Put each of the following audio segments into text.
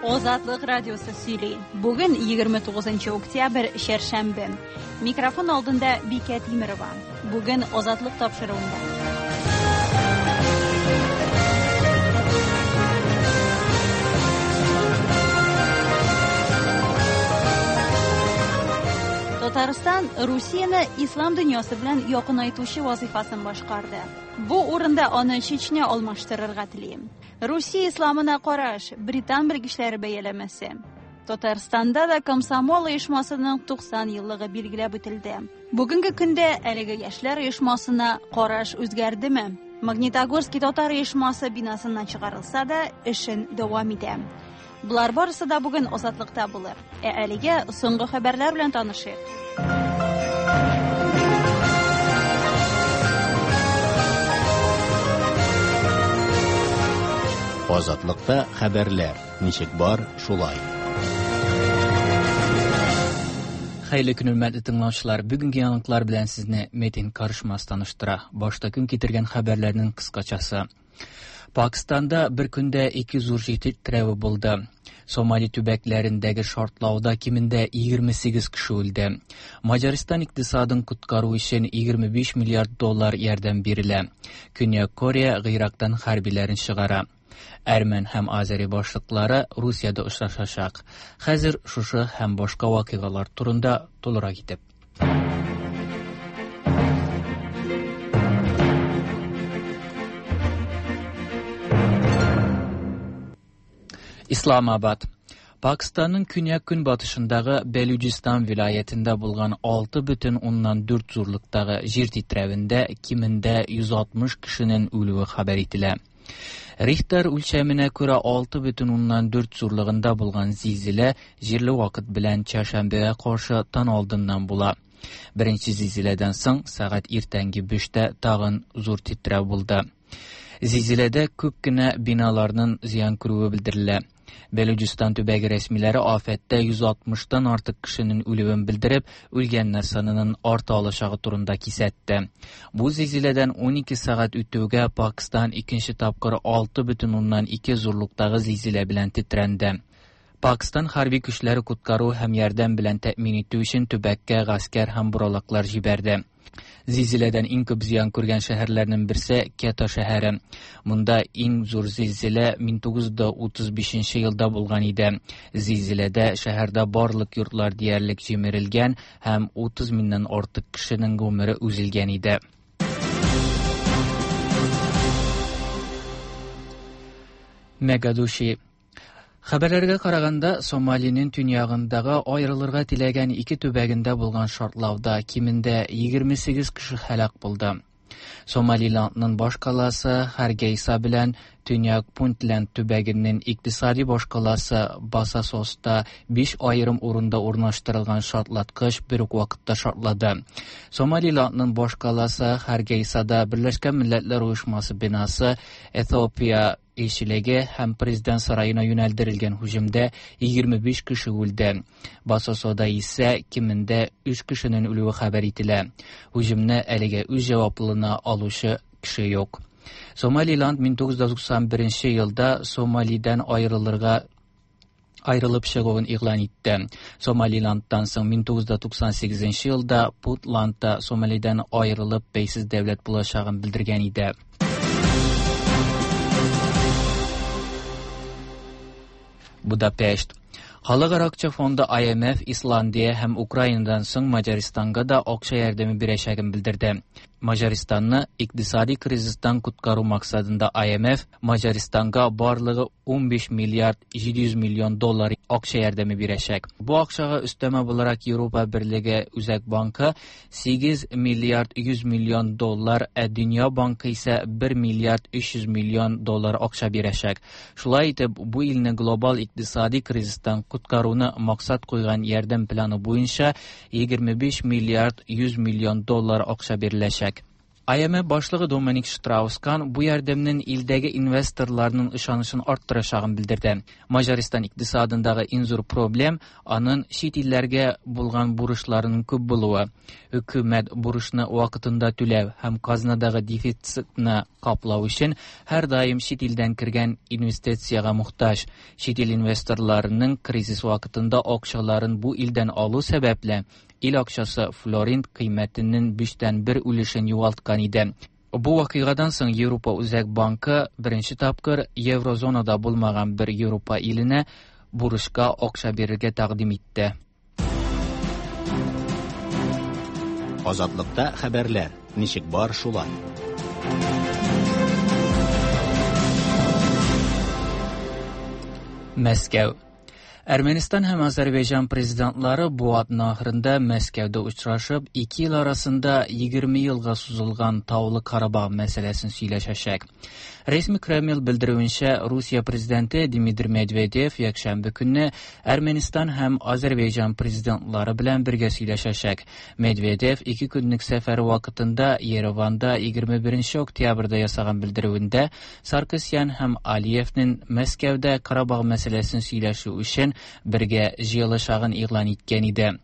Азатлык радиосы сөйли. Бүген 29 октябрь, чәршәмбе. Микрофон алдында Бикә Тимерова. Бүген Азатлык тапшыруында. Татарстан Русияне ислам дөньясы белән якынайтучы вазыйфасын башкарды. Бу урында аны Чечня алмаштырырга тели. Русия исламына караш, британ белгечләре бәяләмәсе. Татарстанда да комсомол оешмасының 90 еллыгы билгеләп үтелде. Бүгенге көндә әлеге яшьләр оешмасына караш үзгәрдеме? Магнитогорский татар оешмасы бинасыннан чыгарылса да, эшен дәвам итә. Болар барысы да бүген Азатлыкта булыр. Ә әлегә соңгы хәбәрләр белән танышыйк. Азатлыкта хәбәрләр ничек бар, шулай. Хәерле көн, хөрмәтле тыңлаучылар. Бүгенге яңалыклар белән сезне Метин Карышмас таныштыра. Башта көн китергән хәбәрләрнең кыскачасы. Пакистанда бер көндә ике зур җир тетрәве булды. Сомали төбәкләрендәге шартлауда кимендә 28 кеше үлде. Маҗаристан икътисадын коткару өчен 25 миллиард доллар ярдәм бирелә. Көньяк Корея Гыйрактан хәрбиләрен чыгара. Әрмән һәм Азери башлыклары Русиядә очрашачак. Хәзер шушы һәм башка вакыйгалар турында тулырак итеп. Исламабад. Pakistanın künyak-günbatışındagı Belücistan vilayetinde bulgan 6,4 zurluqdagı җир titrəvində кимендә 160 кешенең үлүе хәбәр ителә. Рихтер үлчәменә күрә 6,4 зурлыгында булган зилзилә җирле вакыт белән чәршәмбегә каршы таң алдыннан була. Беренче зилзиләдән соң сәгать иртәнге 5-тә тагын зур тетрәү булды. Зилзиләдә күп кенә биналарның зыян күрүе белдерелә. Белуҗистан төбәге рәсмиләре афәттә 160-тан артык кешенең үлүен белдереп, үлгәннәр санының арта алачагы турында кисәтте. Бу зилзиләдән 12 сәгать үтүгә Пакистан икенче тапкыр 6,2 зурлыктагы зилзилә белән тетрәнде. Пакистан хәрби көчләре коткару һәм ярдәм белән тәэмин итү өчен төбәккә гаскәр һәм боралаклар җибәрде. Зилзиләдән иң күп зыян күргән шәһәрләрнең берсе Кета шәһәре. Монда иң зур зилзилә 1935 елда булган иде. Зилзиләдә шәһәрдә барлык йортлар диярлек җимерелгән һәм 30 меңнән артык кешенең гомере өзелгән иде. Мегадуши. Хәбәрләргә караганда, Сомалинең төньягындагы аерылырга теләгән ике төбәгендә булган шартлауда кимендә 28 кеше һәлак булды. Сомалиландның башкаласы Харгейса белән Төньяк Пунтленд төбәгенең икътисади башкаласы Басасоста 5 аерым урында урнаштырылган шартлаткыч бер үк вакытта шартлады. Сомалиландның башкаласы Харгейсада Берләшкән Милләтләр Оешмасы бинасы Эфиопия илчелеге һәм президент сараена юнәлдерелгән һөҗүмдә 25 кеше үлде. Басасода исә кимендә 3 кешенең үлүе хәбәр ителә. Һөҗүмне әлегә үз җаваплылыгына алучы кеше юк. Сомалиланд 1991 елда Сомалидән аерылырга аерылып чыгуын игълан итте. Сомалиландтан соң 1998 елда Путланд та Сомалидән аерылып бәйсез дәүләт булачагын белдергән иде. Будапешт. Халыкара акча фонды IMF Исландия һәм Украинадан соң Маҗаристанга да акча ярдәме бирәчәген белдерде. Маҗаристанны икътисади кризистан коткару максатында IMF Маҗаристанга барлыгы 15 миллиард 700 миллион доллар акча ярдәме бирәчәк. Бу акчага өстәмә буларак Европа Берлеге Үзәк банкы 8 миллиард 100 миллион доллар, ә Дөнья банкы исә 1 миллиард 300 миллион доллар акча бирәчәк. Шулай итеп, бу илне глобал икътисади кризистан коткаруны максат куйган ярдәм планы буенча 25 миллиард 100 миллион доллар акча биреләчәк. IMF башлыгы Доминик Штраус-Кан бу ярдәмнең илдәге инвесторларның ышанычын арттырачагын белдерде. Маҗаристан икътисадындагы иң зур проблем аның чит илләргә булган бурычларының күп булуы. Хөкүмәт бурычны вакытында түләү һәм казнадагы дефицитны каплау өчен һәрдаим чит илдән кергән инвестициягә мохтаҗ. Чит ил инвесторларының кризис вакытында акчаларын бу илдән алу сәбәпле, ил акчасы флоринт кыйммәтенең 1/3 өлешен югалткан иде. Бу вакыйгадан соң Европа Үзәк банкы беренче тапкыр еврозонада булмаган бер Европа иленә бурычка акча бирергә тәкъдим итте. Азатлыкта хәбәрләр ничек бар шулай. Мәскәү. Әрмәнстан һәм Азәрбайҗан президентлары бу атна ахырында Мәскәүдә очрашып, ике ил арасында 20 елга сузылган Таулы Карабах мәсьәләсен сөйләшәчәк. Рәсми Кремль белдерүенчә, Русия президенты Дмитрий Медведев якшәмбе көнне Әрмәнстан һәм Азәрбайҗан президентлары белән бергә сөйләшәчәк. Медведев ике көнлек сәфәре вакытында Ереванда 21 октябрьдә ясаган белдерүендә Саркисян һәм Алиевнең Мәскәүдә Карабах мәсьәләсен сөйләшү өчен бергә җыелышагын игълан иткән иде.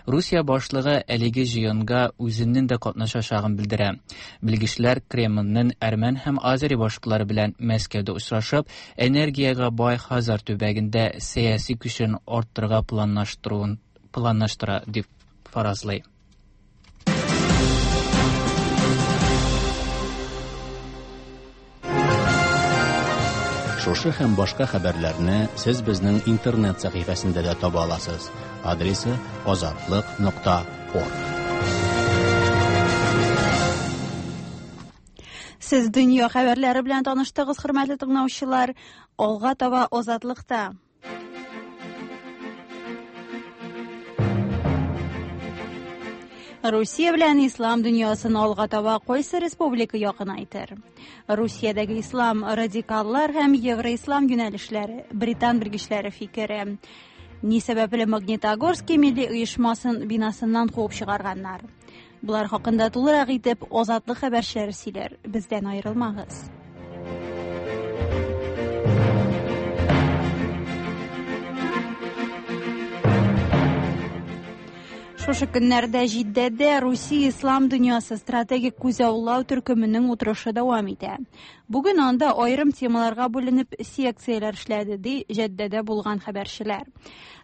Русия башлыгы әлеге җыенга үзенең дә катнашачагын белдерә. Белгечләр Кремльнең әрмән һәм азери башлыклары белән Мәскәүдә очрашып, энергиягә бай Хазар төбәгендә сәяси көчен арттырырга планлаштыра дип фаразлый. Шушы һәм башка хәбәрләрне сез безнең интернет сәхифәсендә дә таба аласыз. Адресы azatliq.org. Сез дөнья хәбәрләре белән таныштыгыз, хөрмәтле тыңлаучылар. Алга таба Азатлыкта. Русия белән ислам дөньясын алга таба кайсы республика якынайтыр? Русиядәге ислам радикаллар һәм евроислам юнәлешләре, британ белгечләре фикере. Ни сәбәпле Магнитогорский милли оешмасын бинасыннан куып чыгарганнар? Булар хакында тулырак итеп Азатлык хәбәрчеләре сөйләр. Бездән аерылмагыз. Шушы көннәрдә Җиддәдә Русия ислам дөньясы стратегик күзаллау төркеменең утырышы дәвам итә. Бүген анда аерым темаларга бүленеп секцияләр эшләде, ди Җиддәдә булган хәбәрчеләр.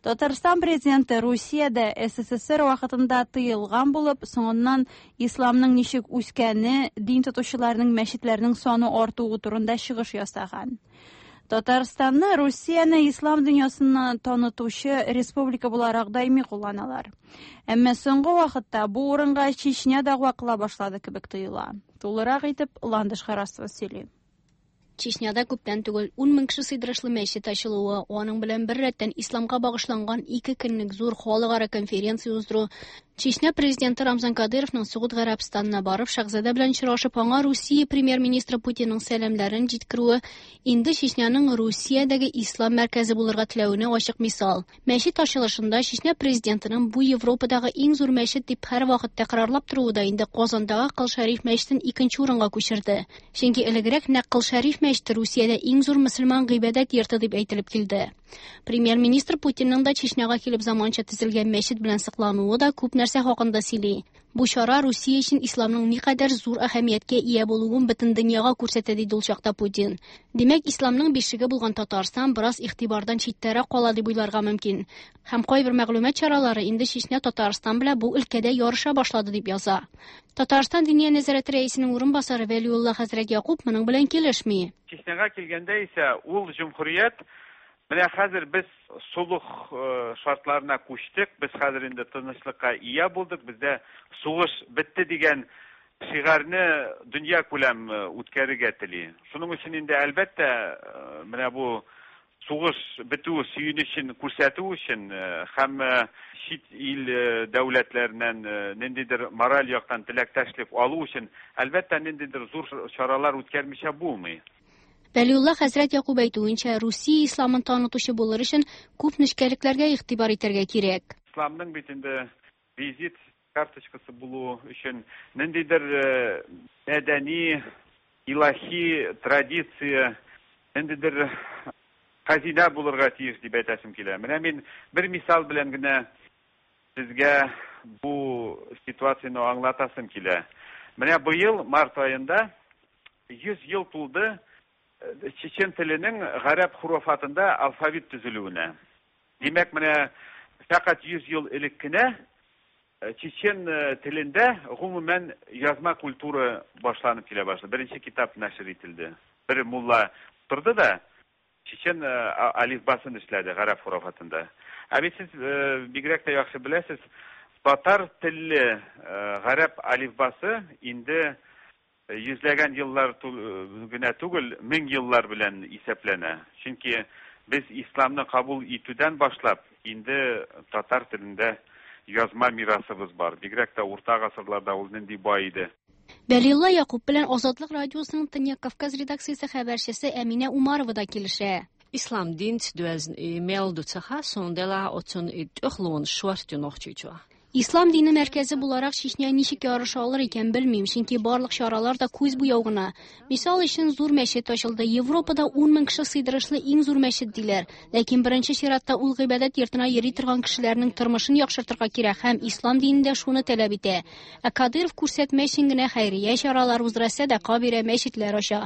Татарстан президенты Русиядә СССР вакытында тыелган булып, соңыннан исламның ничек үскәне, дин тотучыларның мәчетләрнең саны артуы турында чыгыш ясаган. Татарстанны Русияне ислам дөньясына танытучы республика буларак даими кулланалар. Әмма соңгы вакытта бу урынга Чечня дәгъва кыла башлады кебек тоела. Тулырак итеп Ландыш Харасова сөйли. Чечняда күптән түгел 10 мең кеше сыйдырышлы мәчет ачылуы, аның белән бер рәттән исламга багышланган 2 көнлек зур халыкара конференция уздыру, Чечня президенты Рамзан Кадыровның Согуд Гарәбстанына барып шәһзадә белән очрашып, аңа Русия премьер-министры Путинның сәламләрен җиткерүе инде Чечняның Русиядәге ислам мәркәзе булырга теләвенә ачык мисал. Мәчет ачылышында Чечня президентының бу Европадагы иң зур мәчет дип һәр вакыт тәкрарлап торуы да инде Казандагы Кол Шәриф мәчетен икенче урынга күчерде. Чөнки элегрәк нәкъ Кол Шәриф мәчете Русиядә иң зур мөселман гыйбадәт йорты дип әйтелеп килде. Премьер-министр Путинның да Чечняга килеп заманча төзелгән мәчет белән соклануы да күп нәрсә хакында сөйли. Бу чара Русия өчен исламның никадәр зур әһәмияткә ия булуын бөтен дөньяга күрсәтә, диде ул чакта Путин. Димәк, исламның бишеге булган Татарстан бераз игътибардан читтәрәк кала дип уйларга мөмкин. Һәм кайбер мәгълүмат чаралары инде Чечня Татарстан белән бу өлкәдә ярыша башлады дип яза. Татарстан Диния нәзарәте рәисенең урынбасары Вәлиулла хәзрәт Якуб моның белән килешми. Чечняга килгәндә исә ул җөмһүрият менә хәзер без солых шартларына күчтек, без хәзер инде тынычлыкка ия булдык, бездә сугыш бетте дигән шигарны дөнья күләм үткәрергә тели. Шуның өчен инде әлбәттә менә бу сугыш бетү сөенечен күрсәтү өчен һәм чит ил дәүләтләреннән ниндидер мораль яктан теләктәшлек алу өчен әлбәттә ниндидер зур чаралар үткәрмичә булмый. Вәлиулла хәзрәт Якуб әйтүенчә, Русия исламын танытучы булыр өчен күп нечкәлекләргә игътибар итәргә кирәк. Исламның бит инде визит Карточкасы булу өчен ниндидер мәдәни, илаһи традиция, ниндидер хәзинә булырга тиеш дип әйтәсем килә. Менә мин бер мисал белән генә сезгә бу ситуацияне аңлатасым килә. Менә быел март аенда 100 ел тулды чечен теленең гарәп хуруфатында алфавит төзелүенә. Димәк, менә фәкать 100 ел элек кенә чечен телендә гомумән язма культура башланып килә башлады. Беренче китап нәшер ителде. Бер мулла торды да чечен алифбасын эшләде гарәп хуруфатында. Ә бит сез бигрәк тә яхшы беләсез, татар телле гарәп алифбасы инде йөзләгән еллар генә түгел, мең еллар белән исәпләнә. Чөнки без исламны кабул итүдән башлап инде татар телендә язма мирасыбыз бар. Бигрәк тә урта гасырларда ул нинди бай иде. Вәлиулла Якуб белән Азатлык радиосының Төньяк Кавказ редакциясе хәбәрчесе Әминә Умарова да килешә. Ислам динц дуэзн и мелду цаха сондела оцун и төхлун швартю нохчичуа. Ислам дине мәркәзе буларак Чечня ничек ярыша алыр икән белмим, чөнки барлык чаралар да күз буяу гына. Мисал өчен зур мәчет ачылды. Европада 10 мең кеше сыйдырышлы иң зур мәчет диләр. Ләкин беренче чиратта ул гыйбадәт йортына йөри торган кешеләрнең тормышын яхшыртырга кирәк һәм ислам динендә шуны таләп итә. Ә Кадыров күрсәтмә өчен генә хәйрия чаралар уздыра, сәдака бирә, мәчетләр ача.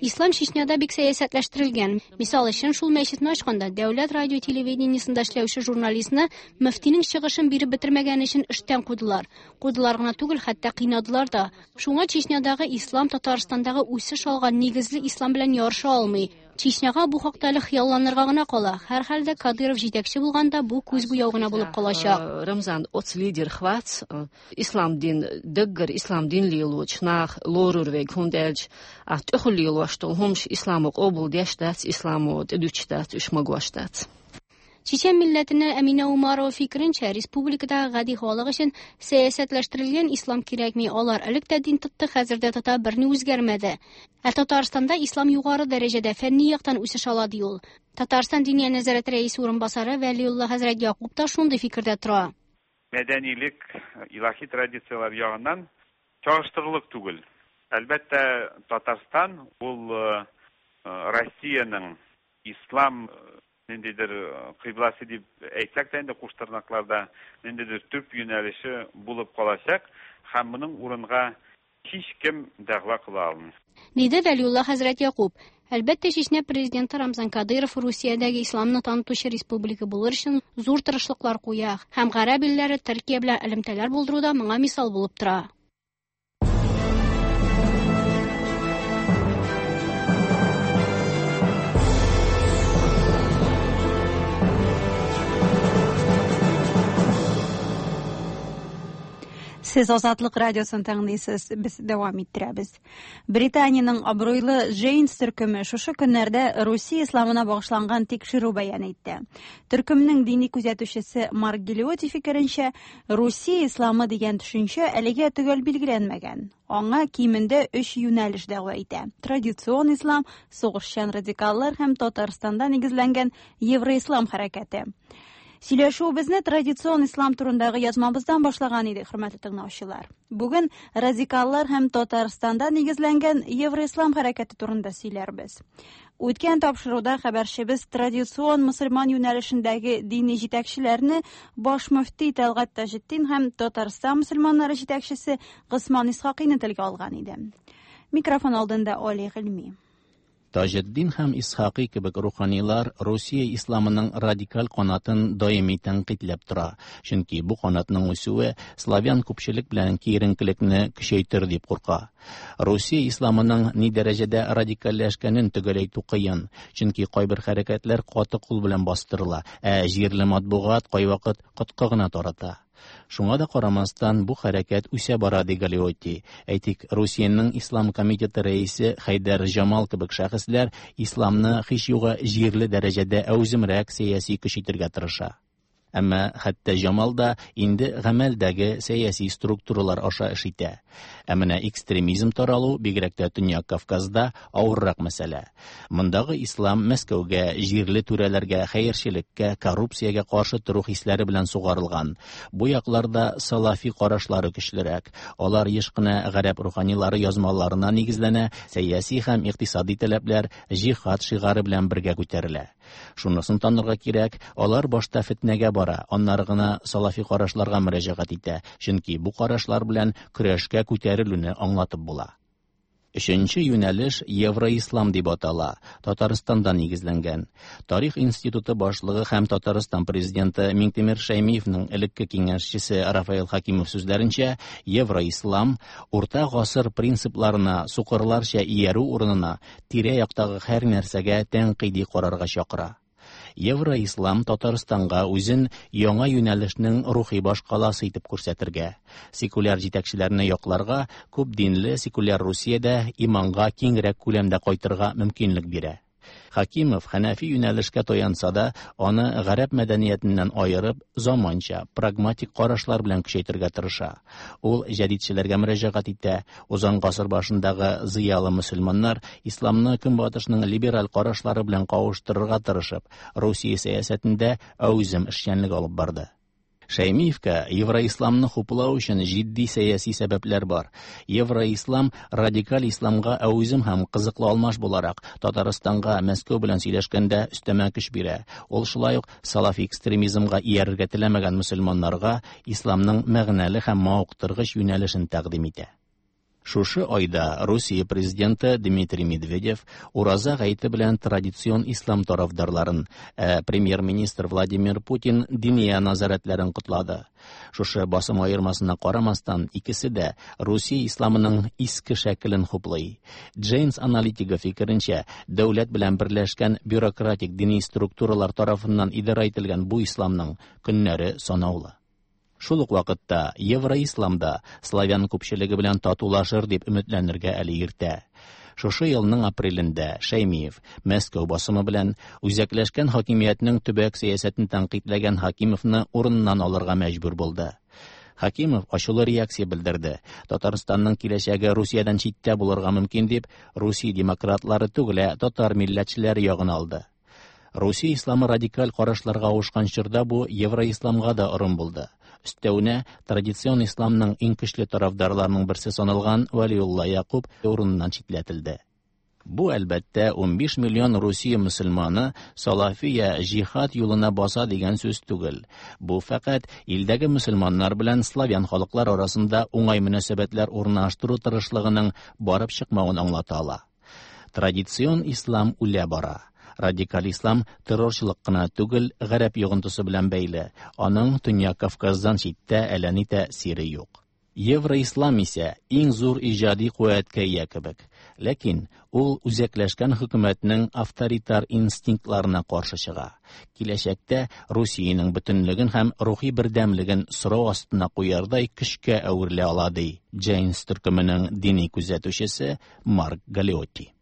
Ислам Чечняда бик сәясәтләштерелгән. Мисал өчен, шул мәчетне ачканда дәүләт радио телевидениесендә эшләүче журналистны мөфтинең чыгышын биреп бетермәгән өчен эштән кудылар. Кудылар гына түгел, хәтта кыйнадылар да. Шуңа Чечнядагы ислам Татарстандагы үсеш алган нигезле ислам белән ярыша алмый. Чечняга бу хакта әле хыялланырга гына кала. Һәрхәлдә Кадыров җитәкче булганда бу күз буяу гына булып калачак. Рамзан оц лидер хвац, ислам дин дэггэр ислам дин лилуч нах лорурвег хунделч, а төхлилуаштол хумш исламу кобул дештац, исламу тедүчтац, ишмагуаштац. Чечен милләтеннән Әминә Умарова фикеренчә, республикадагы гади халык өчен сәясәтләштерелгән ислам кирәкми. Алар элек тә дин тотты, хәзер дә тота, берни үзгәрмәде. Ә Татарстанда ислам югары дәрәҗәдә фәнни яктан үсеш ала ди ул. Татарстан Диния нәзарәте рәисе урынбасары Вәлиулла хәзрәт Якуб та шундый фикердә тора. Мәдәнилек, илаһи традицияләр ягыннан чагыштырырлык түгел. Әлбәттә, Татарстан ул Россиянең ислам ниндидер кыйбласы дип әйтсәк тә инде куштырнакларда ниндидер төп юнәлеше булып калачак һәм моның урынга һич кем дәгъва кыла алмый. Диде Вәлиулла хәзрәт Якуб. Әлбәттә, Чечня президенты Рамзан Кадыров Русиядәге исламны танытучы республика булыр өчен зур тырышлыклар куя һәм гарәп илләре Төркия белән элемтәләр булдыруда моңа мисал булып тора. Сез Азатлык радиосын тыңлыйсыз, без дәвам иттерәбез. Британиянең абруйлы Джейнс төркеме шушы көннәрдә Русия исламына багышланган тикшерү бәян итте. Төркемнең дини күзәтүчесе Марк Гелиоти фикеренчә, Русия исламы дигән төшенчә әлегә төгәл билгеләнмәгән. Аңа кимендә 3 юнәлеш дәгъва итә. Традицион ислам, сугышчан радикаллар һәм Татарстанда нигезләнгән Евроислам хәрәкәте. Сөйләшүебезне традицион ислам турындагы язмабыздан башлаган идек, хөрмәтле тыңлаучылар. Бүген радикаллар һәм Татарстанда нигезләнгән Евроислам хәрәкәте турында сөйләрбез. Үткән тапшыруда хәбәрчебез традицион мөселман юнәлешендәге дини җитәкчеләрне баш мөфти Тәлгать Таҗетдин һәм Татарстан мөселманнары җитәкчесе Госман Исхакыйны телгә алган иде. Микрофон алдында Али Гыйльми. Таҗетдин һәм Исхакый кебек руханилар Русия исламының радикаль канатын даими тәнкыйтьләп тора, чөнки бу канатның үсүе славян күпчелек белән киеренкелекне көчәйтер дип курка. Русия исламының ни дәрәҗәдә радикальләшкәнен төгәл әйтү кыен, чөнки кайбер хәрәкәтләр каты кул белән бастырыла, ә җирле матбугат кайвакыт коткы гына тарата. Шуңа да карамастан бу хәрәкәт үсә бара, ди Галиотти. Әйтик, Русиянең Ислам комитеты рәисе Хәйдәр Җамал кебек шәхесләр исламны һич югы җирле дәрәҗәдә әүземрәк сәяси көч итәргә тырыша. Әмма хәтта Җамал да инде гамәлдәге сәяси структуралар аша эш итә. Ә менә экстремизм таралу, бигрәк тә Төньяк Кавказда, авыррак мәсьәлә. Мондагы ислам Мәскәүгә, җирле түрәләргә, хәерчелеккә, коррупциягә каршы тору хисләре белән сугарылган. Бу якларда салафи карашлары көчлерәк. Алар еш кына гарәп руханилары язмаларына нигезләнә, сәяси һәм икътисади таләпләр җихад шигары белән бергә күтәрелә. Шунысын танырга кирәк, алар башта фетнәгә бара, аннары гына салафи карашларга мөрәҗәгать итә, чөнки бу карашлар белән көрәшкә күтәрелүне аңлатып була. Өченче юнәлеш Евроислам дип атала, Татарстанда нигезләнгән. Тарих институты башлыгы һәм Татарстан президенты Миңтимер Шәймиевның элекке киңәшчесе Рафаэл Хакимов сүзләренчә, Евроислам урта гасыр принципларына сукырларча иярү урынына тирә-яктагы һәр нәрсәгә тәнкыйди карарга чакыра. Евроислам Татарстанга үзен яңа юнәлешнең рухи башкаласы итеп күрсәтергә, секуляр җитәкчеләрне якларга, күп динле секуляр Русиядә иманга киңрәк күләмдә кайтырга мөмкинлек бирә. Хакимов хәнәфи юнәлешкә таянса да, аны гарәп мәдәниятеннән аерып, заманча, прагматик карашлар белән көчәйтергә тырыша. Ул җәдидчеләргә мөрәҗәгать итә. Узган гасыр башындагы зыялы мөселманнар исламны көнбатышның либераль карашлары белән кавыштырырга тырышып, Русия сәясәтендә әүзем эшчәнлек алып барды. Шәймиевкә евроисламны хуплау өчен җитди сәяси сәбәпләр бар. Евроислам радикаль исламга әүзем һәм кызыклы алмаш буларак Татарстанга Мәскәү белән сөйләшкәндә өстәмә көч бирә. Ул шулай ук салафи экстремизмга иярергә теләмәгән мөселманнарга исламның мәгънәле һәм мавыктыргыч юнәлешен тәкъдим итә. Шушы айда Русия президенты Дмитрий Медведев Ураза гаете белән традицион ислам тарафдарларын, ә премьер-министр Владимир Путин диния назарәтләрен котлады. Шушы басым аермасына карамастан, икесе дә Русия исламының иске шәкелен хуплый. Джейнс аналитигы фикеренчә, дәүләт белән берләшкән бюрократик дини структуралар тарафыннан идарә ителгән бу исламның көннәре санаулы. Шул ук вакытта Евроислам да славян күпчелеге белән татулашыр дип өметләнергә әле иртә. Шушы елның апрелендә Шәймиев Мәскәү басымы белән үзәкләшкән хакимиятнең төбәк сәясәтен тәнкыйтьләгән Хакимовны урыныннан алырга мәҗбүр булды. Хакимов ачулы реакция белдерде. Татарстанның киләчәге Русиядән читтә булырга мөмкин дип, Русия демократлары түгел, ә татар милләтчеләре ягын алды. Русия исламы радикаль карашларга авышкан чорда бу евроисламга да орын булды. Өстәвенә, традицион исламның иң көчле тарафдарларының берсе саналган Вәлиулла Якуб урыныннан читләтелде. Бу, әлбәттә, 15 миллион Русия мөселманы салафия җихад юлына баса дигән сүз түгел. Бу фәкать илдәге мөселманнар белән славян халыклар арасында уңай мөнәсәбәтләр урнаштыру тырышлыгының барып чыкмавын аңлата ала. Традицион ислам үлә бара. Радикаль ислам террорчылык кына түгел, гарәп йогынтысы белән бәйле. Аның Төньяк Кавказдан читтә әллә ни тәэсире юк. Евроислам исә иң зур иҗади куәткә ия кебек. Ләкин ул үзәкләшкән хөкүмәтнең авторитар инстинктларына каршы чыга. Киләчәктә Русиянең бөтенлеген һәм рухи бердәмлеген сорау астына куярдай көчкә әверелә ала, ди Джейнс төркеменең дини күзәтүчесе Марк Галиотти.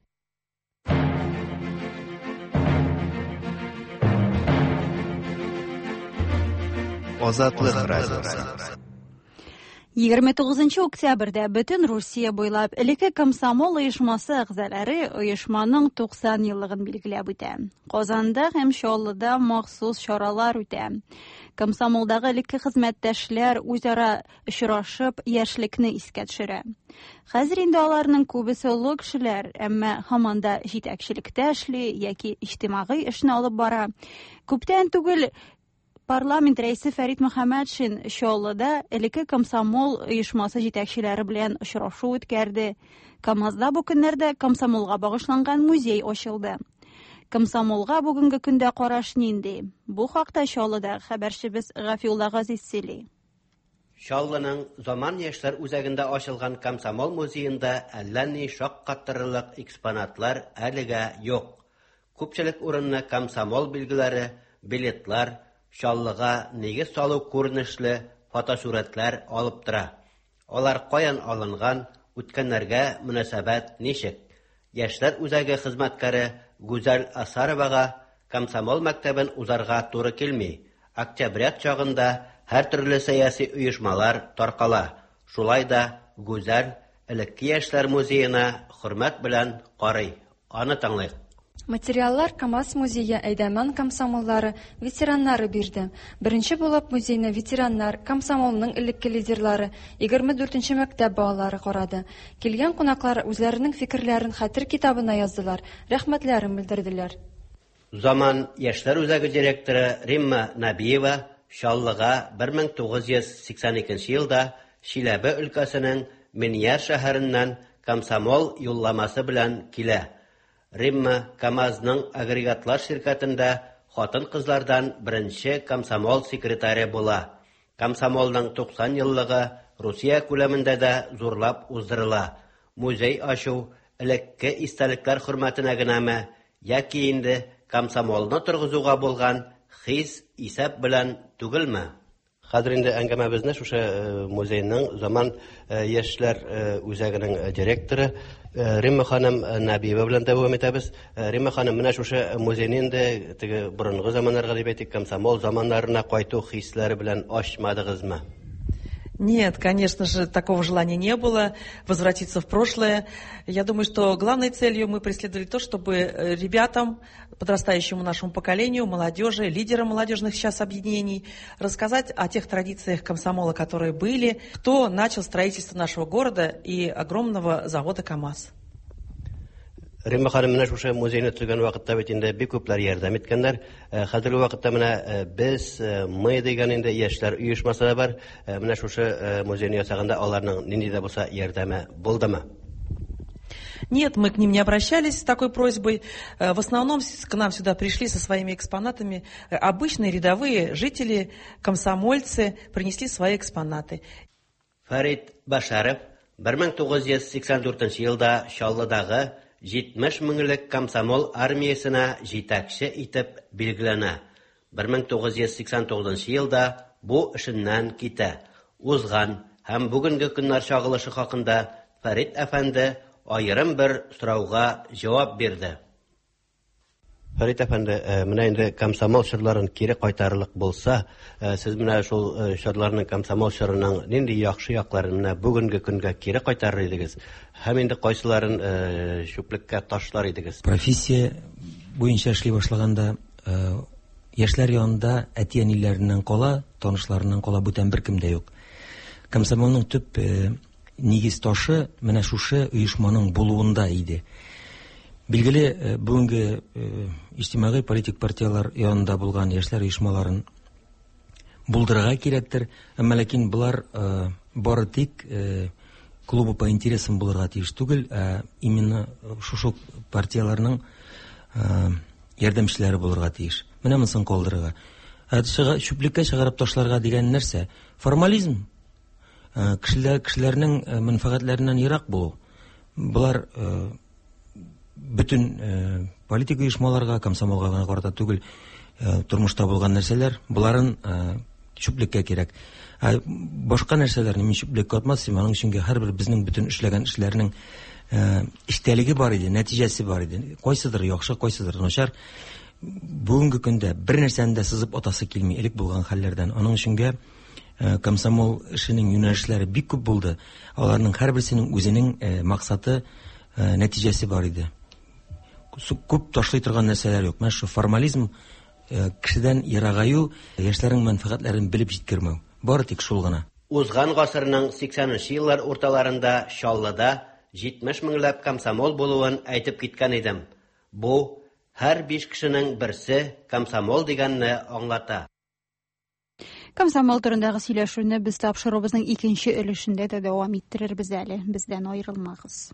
Азатлык радиосы. 29 октябрьдә бөтен Русия буйлап элекке комсомол оешмасы әгъзалары оешманың 90 еллыгын билгеләп үтә. Казанда һәм Чаллыда махсус чаралар үтә. Комсомолдагы элекке хезмәттәшләр үзара очрашып, яшьлекне искә төшерә. Хәзер инде аларның күбесе олы кешеләр, әмма һаман да җитәкчелектә эшли яки иҗтимагый эшне алып бара. Күптән түгел парламент рәисе Фәрит Мөхәммәтшин Чаллыда элекке комсомол оешмасы җитәкчеләре белән очрашу үткәрде. КАМАЗда бу көннәрдә комсомолга багышланган музей ачылды. Комсомолга бүгенге көндә караш нинди? Бу хакта Чаллыда хәбәрчебез Гафиулла Газиз сөйли. Чаллының Заман яшьләр үзәгендә ачылган комсомол музеенда әллә ни шаккатырырлык экспонатлар әлегә юк. Күпчелек урынны комсомол билгеләре, билетлар, Чаллыга нигез салу күренешле фотосурәтләр алып тора. Алар каян алынган, үткәннәргә мөнәсәбәт ничек? Яшьләр үзәге хезмәткәре Гүзәл Асаровага комсомол мәктәбен узарга туры килми. Октябрят чагында һәртөрле сәяси оешмалар таркала. Шулай да Гүзәл элекке яшьләр музеена хөрмәт белән карый. Аны тыңлыйк. Материаллар КАМАЗ музее әйдәман комсомоллары, ветераннары бирде. Беренче булып музейны ветераннар, комсомолның элекке лидерлары, 24 нче мәктәп балалары карады. Килгән кунаклар үзләренең фикерләрен хәтер китабына яздылар, рәхмәтләрен белдерделәр. Заман яшьләр үзәге директоры Римма Нәбиева Чаллыга 1982 елда Чиләбе өлкәсенең Миньяр шәһәреннән комсомол юлламасы белән килә. Римма КАМАЗның агрегатлар ширкәтендә хатын-кызлардан беренче комсомол секретаре була. Комсомолның 90 еллыгы Русия күләмендә дә зурлап уздырыла. Музей ачу элекке истәлекләр хөрмәтенә генәме яки инде комсомолны торгызуга булган хис-исәп белән түгелме? Хәзер инде әңгәмәбезне шушы музейның Заман яшьләр үзәгенең директоры Римма ханым Нәбиева белән дәвам итәбез. Римма ханым, менә шушы музейны инде теге борынгы заманнарга дип әйтик, комсомол заманнарына кайту хисләре белән ачмадыгызмы? Нет, конечно же, такого желания не было, возвратиться в прошлое. Я думаю, что главной целью мы преследовали то, чтобы ребятам, подрастающему нашему поколению, молодежи, лидерам молодежных сейчас объединений, рассказать о тех традициях комсомола, которые были, кто начал строительство нашего города и огромного завода КАМАЗ. Римма ханым, менә шушы музейны төзегән вакытта бит инде бик күпләр ярдәм иткәннәр. Хәзерге вакытта менә без, мы дигән инде яшьләр оешмасы да бар. Менә шушы музейны ясаганда аларның нинди дә булса ярдәме булдымы? Нет, мы к ним не обращались с такой просьбой. В основном к нам сюда пришли со своими экспонатами обычные рядовые жители, комсомольцы, принесли свои экспонаты. Фәрит Башаров 1984 елда Чаллыдагы 70 меңлек комсомол армиясенә җитәкче итеп билгеләнә. 1989 елда бу эшеннән китә. Узган һәм бүгенге көннәр чагылышы хакында Фәрит әфәнде аерым бер сорауга җавап бирде. Фәрит әфәнде, менә инде комсомол чорларын кире кайтарырлык булса, сез менә шул чорларның, комсомол чорының нинди яхшы якларын менә бүгенге көнгә кире кайтарыр идегез? Һәм инде кайсыларын чүплеккә ташлар идегез? Профессия буенча эшли башлаганда, яшьләр янында әти-әниләреннән кала, танышларыннан кала бүтән беркем дә юк. Комсомолның төп нигез ташы менә шушы оешманың булуында иде. Билгеле, бүгенге иҗтимагый политик партиялар янында булган яшьләр оешмаларын булдырырга кирәктер, әмма ләкин болар бары тик клубы по интересам булырга тиеш түгел, ә именно шушы партияларның ярдәмчеләре булырга тиеш. Менә монысын калдырырга. Ә чүплеккә чыгарып ташларга дигән нәрсә? Формализм. Кешеләрнең мәнфәгатьләреннән ерак булу. Болар бөтен политик оешмаларга, комсомолга гына карата түгел, тормышта булган нәрсәләр, боларын чүплеккә кирәк. Ә башка нәрсәләрне мин чүплеккә атмас идем, аның өчен һәрбер безнең бөтен эшләгән эшләрнең эчтәлеге бар иде, нәтиҗәсе бар иде. Кайсыдыр яхшы, кайсыдыр начар. Бүгенге көндә бер нәрсәне дә сызып атасы килми элек булган хәлләрдән. Аның өчен комсомол эшенең юнәлешләре бик күп булды. Аларның һәрберсенең үзенең максаты, нәтиҗәсе бар иде. Күп ташлый торган нәрсәләр юк. Менә шу формализм, кешедән ерагаю, яшьләрнең мәнфәгатьләрен белеп җиткермәү. Бары тик шул гына. Узган гасырның 80 еллар урталарында Чаллыда 70 меңләп комсомол булуын әйтеп киткән идем. Бу һәр 5 кешенең берсе комсомол дигәнне аңлата. Комсомол турындагы сөйләшүне без тапшыруыбызның икенче өлешендә дә дәвам иттерербез әле. Бездән аерылмагыз.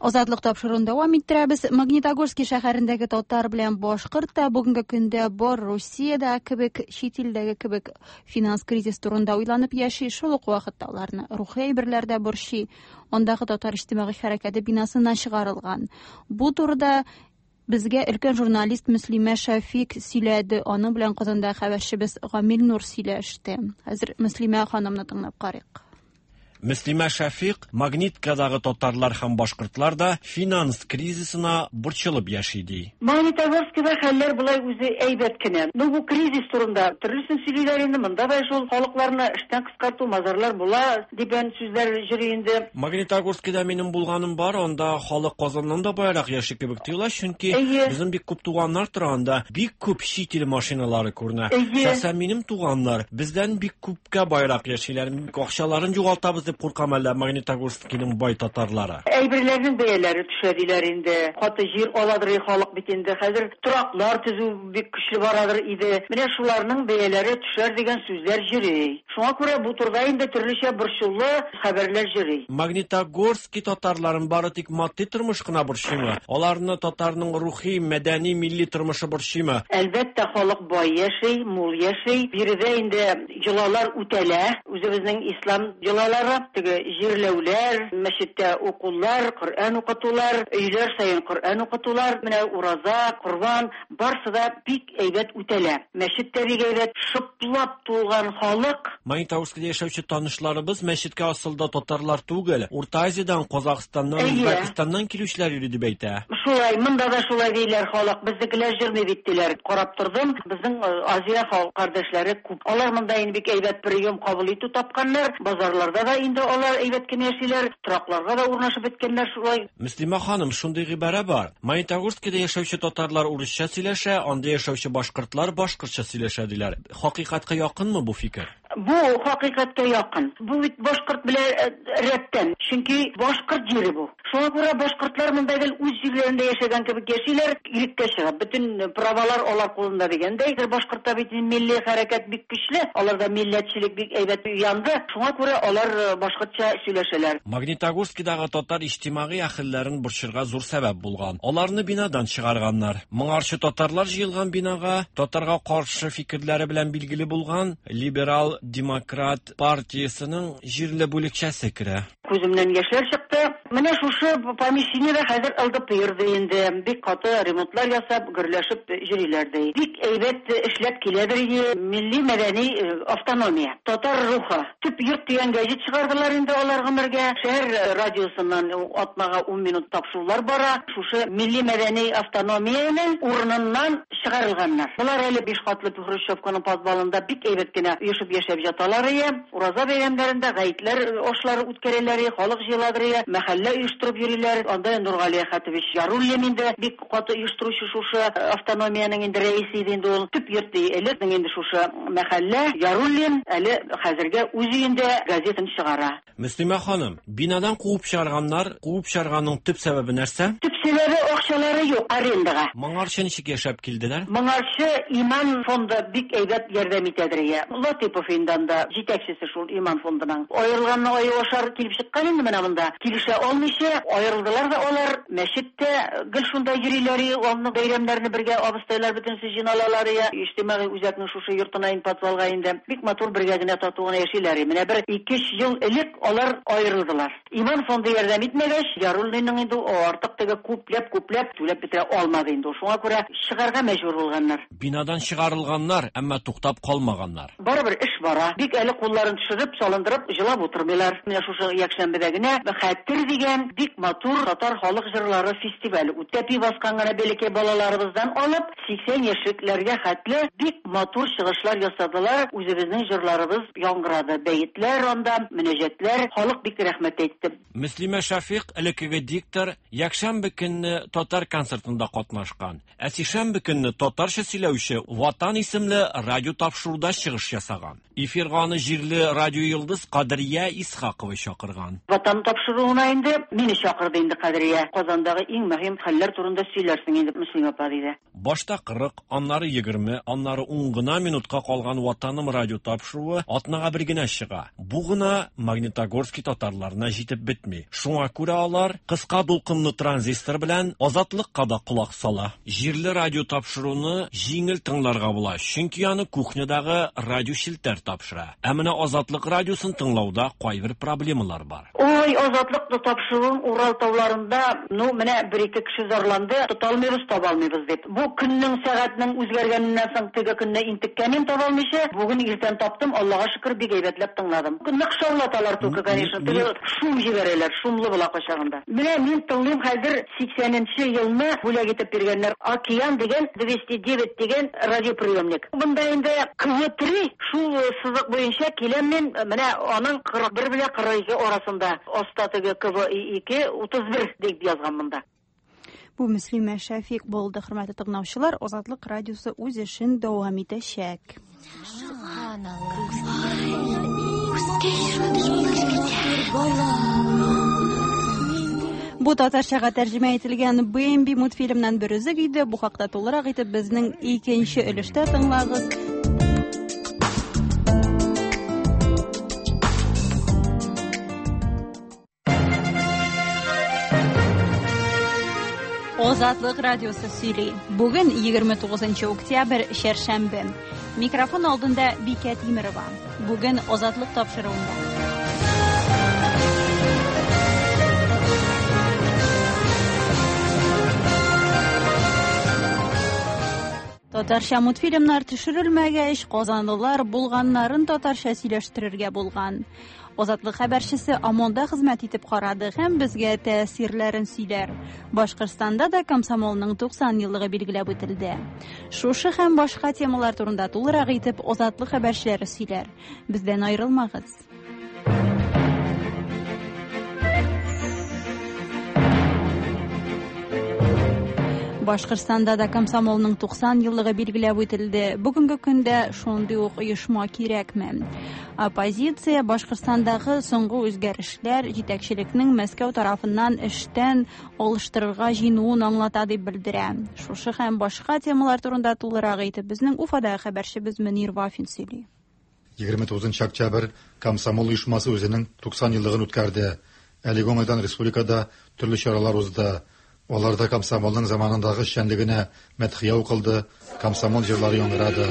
Азатлык тапшыруын дәвам иттерәбез. Магнитогорский шәһәрендәге татар белән башкорт та бүгенге көндә бар Русиядә кебек, чит илдәге кебек финанс кризис турында уйланып яши. Шул ук вакытта аларны рухи әйберләр дә борчый. Андагы татар иҗтимагый хәрәкәте бинасыннан чыгарылган. Бу турыда безгә өлкән журналист Мөслимә Шәфик сөйләде. Аның белән Казанда хәбәрчебез Гамил Нур сөйләште. Хәзер Мөслимә ханымны тыңлап карыйк. Мөслимә Шәфикъ Магниткадагы татарлар һәм башкортлар да финанс кризисына борчылып яши ди. Магнитогорскида хәлләр болай үзе әйбәт кенә. Ну, бу кризис турында төрлесен сөйлиләр инде, монда да шул халыкларны эштән кыскарту, мазарлар була дигән сүзләр йөри инде. Магнитогорскида минем булганым бар, анда халык Казаннан да баерак яши кебек тоела, чөнки безнең бик күп туганнар тора анда, бик күп чит ил машиналары күренә. Шәхсән минем туганнар бездән бик күпкә баерак яшиләр. Акчаларын югалтабыз дип куркам әллә Магнитогорскиның бай татарлары. Әйберләрнең бәяләре төшә диләр инде. Каты җир аладыр халык бит инде. Хәзер тораклар төзү бик көчле барадыр иде. Менә шуларның бәяләре төшәр дигән сүзләр йөри. Шуңа күрә бу турыда инде төрлечә борчулы хәбәрләр йөри. Магнитогорски татарларын бары тик матди тормыш кына борчыймы? Аларны татарның рухи, мәдәни, милли тормышы борчыймы? Әлбәттә, халык бай яши, мул яши. Биредә инде йолалар үтәлә. Үзебезнең ислам йолалары, теге җирләүләр, мәчеттә укулар, Коръән укытулар, өйләр саен Коръән укытулар, менә ураза, корбан, барсы да бик әйбәт үтәлә. Мәчет тә бик әйбәт, шыплап тулган халык. Магнитогорскида яшәүче танышларыбыз мәчеткә асылда татарлар түгел, Урта Азиядән, Казахстаннан, Үзбәкстаннан килүчеләр йөри дип әйтә. Шулай, монда да шулай диләр халык. Безнекеләр йөрми бит диләр. Карап тордым, безнең Азия халык кардәшләре күп. Алар монда инде бик әйбәт прием кабул итү тапканнар. Базарларда да инде алар әйбәт кенә яшиләр, торакларга да урнашып беткәннәр шулай. Мөслимә ханым, шундый гыйбарә бар. Магнитогорскида яшәүче татарлар урысча сөйләшә, анда яшәүче башкортлар башкортча сөйләшә диләр. Хакыйкатькә якынмы бу фикер? Бу хакыйкатькә якын. Бу бит башкорт белән рәттән. Чөнки башкорт җире бу. Шуңа күрә башкортлар монда гел үз җирләрендә яшәгән кебек яшиләр, иреккә чыгып. Бөтен правалар алар кулында дигәндәй. Башкортта бит милли хәрәкәт бик көчле, аларда милләтчелек бик әйбәт уянды. Шуңа күрә алар башкортча сөйләшәләр. Магнитогорскидагы татар иҗтимагый әһелләрен борчырга зур сәбәп булган. Аларны бинадан чыгарганнар. Моңарчы татарлар җыелган бинага татарга каршы фикерләре белән билгеле булган либерал демократ партиясенең җирле бүлекчәсе керә. Күземнән яшьләр чыкты. Менә шушы помещениедә хәзер ЛДПР ди инде. Бик каты ремонтлар ясап, гөрләшеп йөриләр ди. Бик әйбәт эшләп киләдер иде милли мәдәни автономия. Татар рухы. Төп йорт дигән гәҗит чыгардылар инде алар гомергә. Шәһәр радиосыннан атнага 10 минут тапшырулар бара. Шушы милли мәдәни автономиянең урыныннан чыгарылганнар. Болар әле биш катлы Хрущевканың подвалында бик әйбәт кенә оешып яшәп яталар ие. Ураза бәйрәмнәрендә гаетләр ашлары үткәрәләр, халык җыеладыр ие, мәхәллә оештырып йөриләр. Анда Нургали Әхәтович Яруллин инде бик каты оештыручы шушы автономиянең инде рәисе иде инде ул. Төп йорт ди элек инде шушы мәхәллә. Яруллин әле хәзергә үз өендә газетын чыгара. Мөслимә ханым, бинадан куып чыгарганнар, куып чыгарганның төп сәбәбе нәрсә? Төп сәбәбе акчалары юк арендага. Моңарчы ничек яшәп килделәр? Моңарчы Иман фонды бик әйбәт ярдәм итәдер ия. Латипов инде анда җитәкчесе шул Иман фондының. Аерылганны аю ашар килеп чыккан инде менә монда. Килешә алмыйча аерылдылар да алар. Мәчеттә гел шунда йөриләр, аны бәйрәмнәрне бергә абыстайлар бөтенесе җыйналалар ия. Иҗтимагый үзәкнең шушы йортына инде подвалга инде. Бик матур бергә генә тату гына яшиләр. Менә бер 2-3 ел элек алар аерылдылар. Иман фонды ярдәм итмәгәч, Яруллинның инде артык теге күпләп-күпләп түләп бетерә алмады инде. Шуңа күрә чыгарга мәҗбүр булганнар. Бинадан чыгарылганнар, әмма туктап калмаганнар. Барыбер эш бара. Бик әле кулларын төшереп, салындырып, җылап утырмыйлар. Менә шушы якшәмбедә генә Хәтер дигән бик матур татар халык җырлары фестивале үтте. Тәпи баскан гына бәләкәй балаларыбыздан алып 80 яшьлекләргә хәтле бик матур чыгышлар ясадылар. Үзебезнең җырларыбыз яңгырады. Бәетләр анда, мөнәҗәтләр, халык бик рәхмәт әйтте. Мөслимә Шәфикъ элеккеге диктор якшәмбе көнне татар концертында катнашкан. Ә сишәмбе көнне татарча сөйләүче Ватан исемле радио тапшыруда чыгыш ясаган. Эфирга аны җирле радио йолдыз Кадрия Исхакова чакырган. Ватан тапшыруына инде мине чакырды инде Кадрия. Казандагы иң мөһим хәлләр турында сөйләрсең инде, Мөслимә апа, диде. Башта 40, аннары 20, аннары 10 гына минутка калган Ватаным радио тапшыруы атнага бер генә чыга. Бу гына Магнитогорский татарларына җитеп бетми. Шуңа күрә алар кыска дулкынлы транзистор белән Азатлыкка да колак сала. Җирле радио тапшыруны җиңел тыңларга була, чөнки аны кухнядагы радио челтәр тапшыра. Ә менә Азатлык радиосын тыңлауда кайбер проблемалар бар. Ой, Азатлык тапшыруын Урал тауларында, ну, менә бер-ике кеше зарланды, тота алмыйбыз, таба алмыйбыз дип. Бу көннең сәгатьнең үзгәргәненнән соң теге көнне интеккәнен таба алмыйча, бүген иртән таптым, Аллага шөкер, бик әйбәтләп тыңладым. Нык шаулаталар түгел. Громко, конечно. Теге шум җибәрәләр, шумлы була кайчагында. Менә мин тыңлыйм хәзер 80нче елны бүләк итеп биргәннәр. Океан дигән 209 дигән радиоприемник. Монда инде КВ3 шул сызык буенча киләм мин, менә аның 41 белән 42 арасында. Аста теге КВ2 31 дип язган монда. Бу Мөслимә Шәфик булды, хөрмәтле тыңлаучылар. Азатлык радиосы үз эшен дәвам итәчәк. Бу татарчага тәрҗемә ителгән Бэмби мультфильмнан бер өзек иде. Бу хакта тулырак итеп безнең икенче өлештә тыңлагыз. Азатлык радиосы сөйли. Бүген 29 октябрь, чәршәмбе. Микрофон алдында Бикә Тимерова. Бүген Азатлык тапшыруында. Татарча мультфильмнар төшерелмәгәч, казанлылар булганнарын татарча сөйләштерергә булган. Азатлык хәбәрчесе ОМОНда хезмәт итеп карады һәм безгә тәэсирләрен сөйләр. Башкортстанда да комсомолның 90 еллыгы билгеләп үтелде. Шушы һәм башка темалар турында тулырак итеп Азатлык хәбәрчеләре сөйләр. Бездән аерылмагыз. Башкортстанда да комсомолның 90 еллыгы билгеләп үтелде. Бүгенге көндә шундый ук оешма кирәкме? Оппозиция Башкортстандагы соңгы үзгәрешләр җитәкчелекнең Мәскәү тарафыннан эштән алыштырырга җыенуын аңлата дип белдерә. Шушы һәм башка темалар турында тулырак итеп безнең Уфадагы хәбәрчебез Мөнир Вафин сөйли. 29 октябрь комсомол оешмасы үзенең 90 еллыгын үткәрде. Әлеге уңайдан республикада төрле чаралар узды. Аларда комсомолның заманындагы эшчәнлегенә мәдхия укылды, комсомол җырлары яңгырады.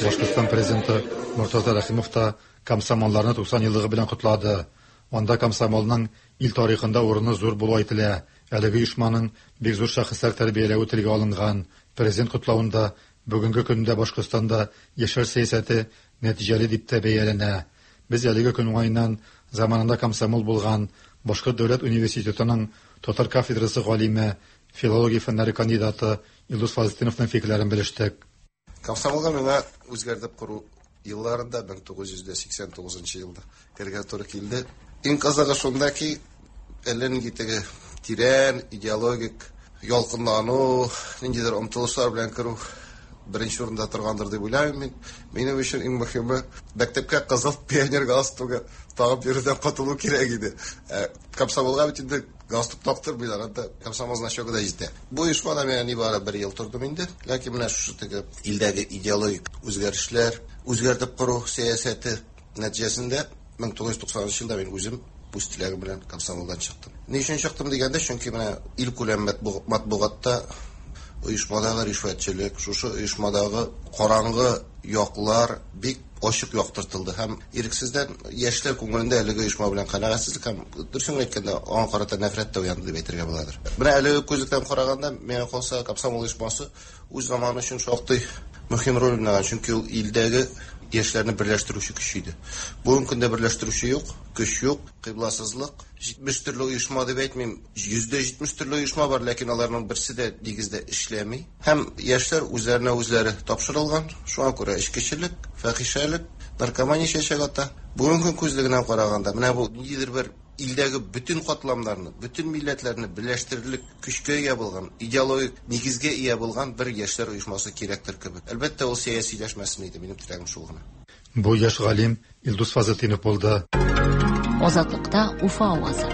Башкортстан президенты Мортаза Рәхимов та комсомолларны 90 еллыгы белән котлады. Анда комсомолның ил тарихында урыны зур булу әйтелә. Әлеге оешманың бик зур шәхесләр тәрбияләве телгә алынган. Президент котлавында бүгенге көндә Башкортстанда яшьләр сәясәте нәтиҗәле дип тә бәяләнә. Без әлеге көн уңаеннан заманында комсомол булган Башкорт дәүләт университетының татар кафедрасы галиме, филология фәннәре кандидаты Илдус Фазлетдиновның фикерләрен белештек. Комсомолга миңа үзгәртеп кору елларында 1989 елда керергә туры килде. Иң кызыгы шунда ки, әллә нинди теге тирән идеологик ялкынлану, ниндидер омтылышлар белән керү беренче урында торгандыр дип уйлыйм мин. Минем өчен иң мөһиме мәктәпкә кызыл пионер галстугы тагып йөрүдән котылу кирәк иде. Комсомолга бит инде галстук тактырмыйлар, анда комсомол значогы да җитә. Бу оешмада мин нибары бер ел тордым инде. Ләкин менә шушы теге илдәге идеологик үзгәрешләр, үзгәртеп кору сәясәте нәтиҗәсендә 1990 елда мин үзем үз теләгем белән комсомолдан чыктым. Ни өчен чыктым дигәндә, чөнки менә илкүләм матбугатта оешмадагы ришвәтчелек, шушы оешмадагы караңгы яклар бик ачык яктыртылды һәм ирексездән яшьләр күңелендә әлеге оешма белән канәгатьсезлек һәм дөресен әйткәндә аңа карата нәфрәт тә уянды дип әйтергә буладыр. Менә әлеге күзлектән караганда, миңа калса, комсомол оешмасы үз заманы өчен шактый мөһим роль уйнаган, чөнки ул илдәге яшьләрне берләштерүче көч иде. Бүгенге көндә берләштерүче юк, көч юк, кыйбласызлык. 70 төрле оешма дип әйтмим, 70% төрле оешма бар, ләкин аларның берсе дә нигездә эшләми. Һәм яшьләр үзләренә үзләре тапшырылган. Шуңа күрә эчкечелек, фәхишәлек, наркомания чәчәк ата. Бүгенге көн күзлегеннән караганда, менә бу ниндидер бер илдәге бөтен катламнарны, бөтен милләтләрне берләштерерлек көчкә ия булган, идеологик нигезгә ия булган бер яшьләр оешмасы кирәктер кебек. Әлбәттә, ул сәясиләшмәсен иде, минем теләгем шул гына. Бу яшь галим Илдус Фазлетдинов булды. Азатлыкта Уфа авазы.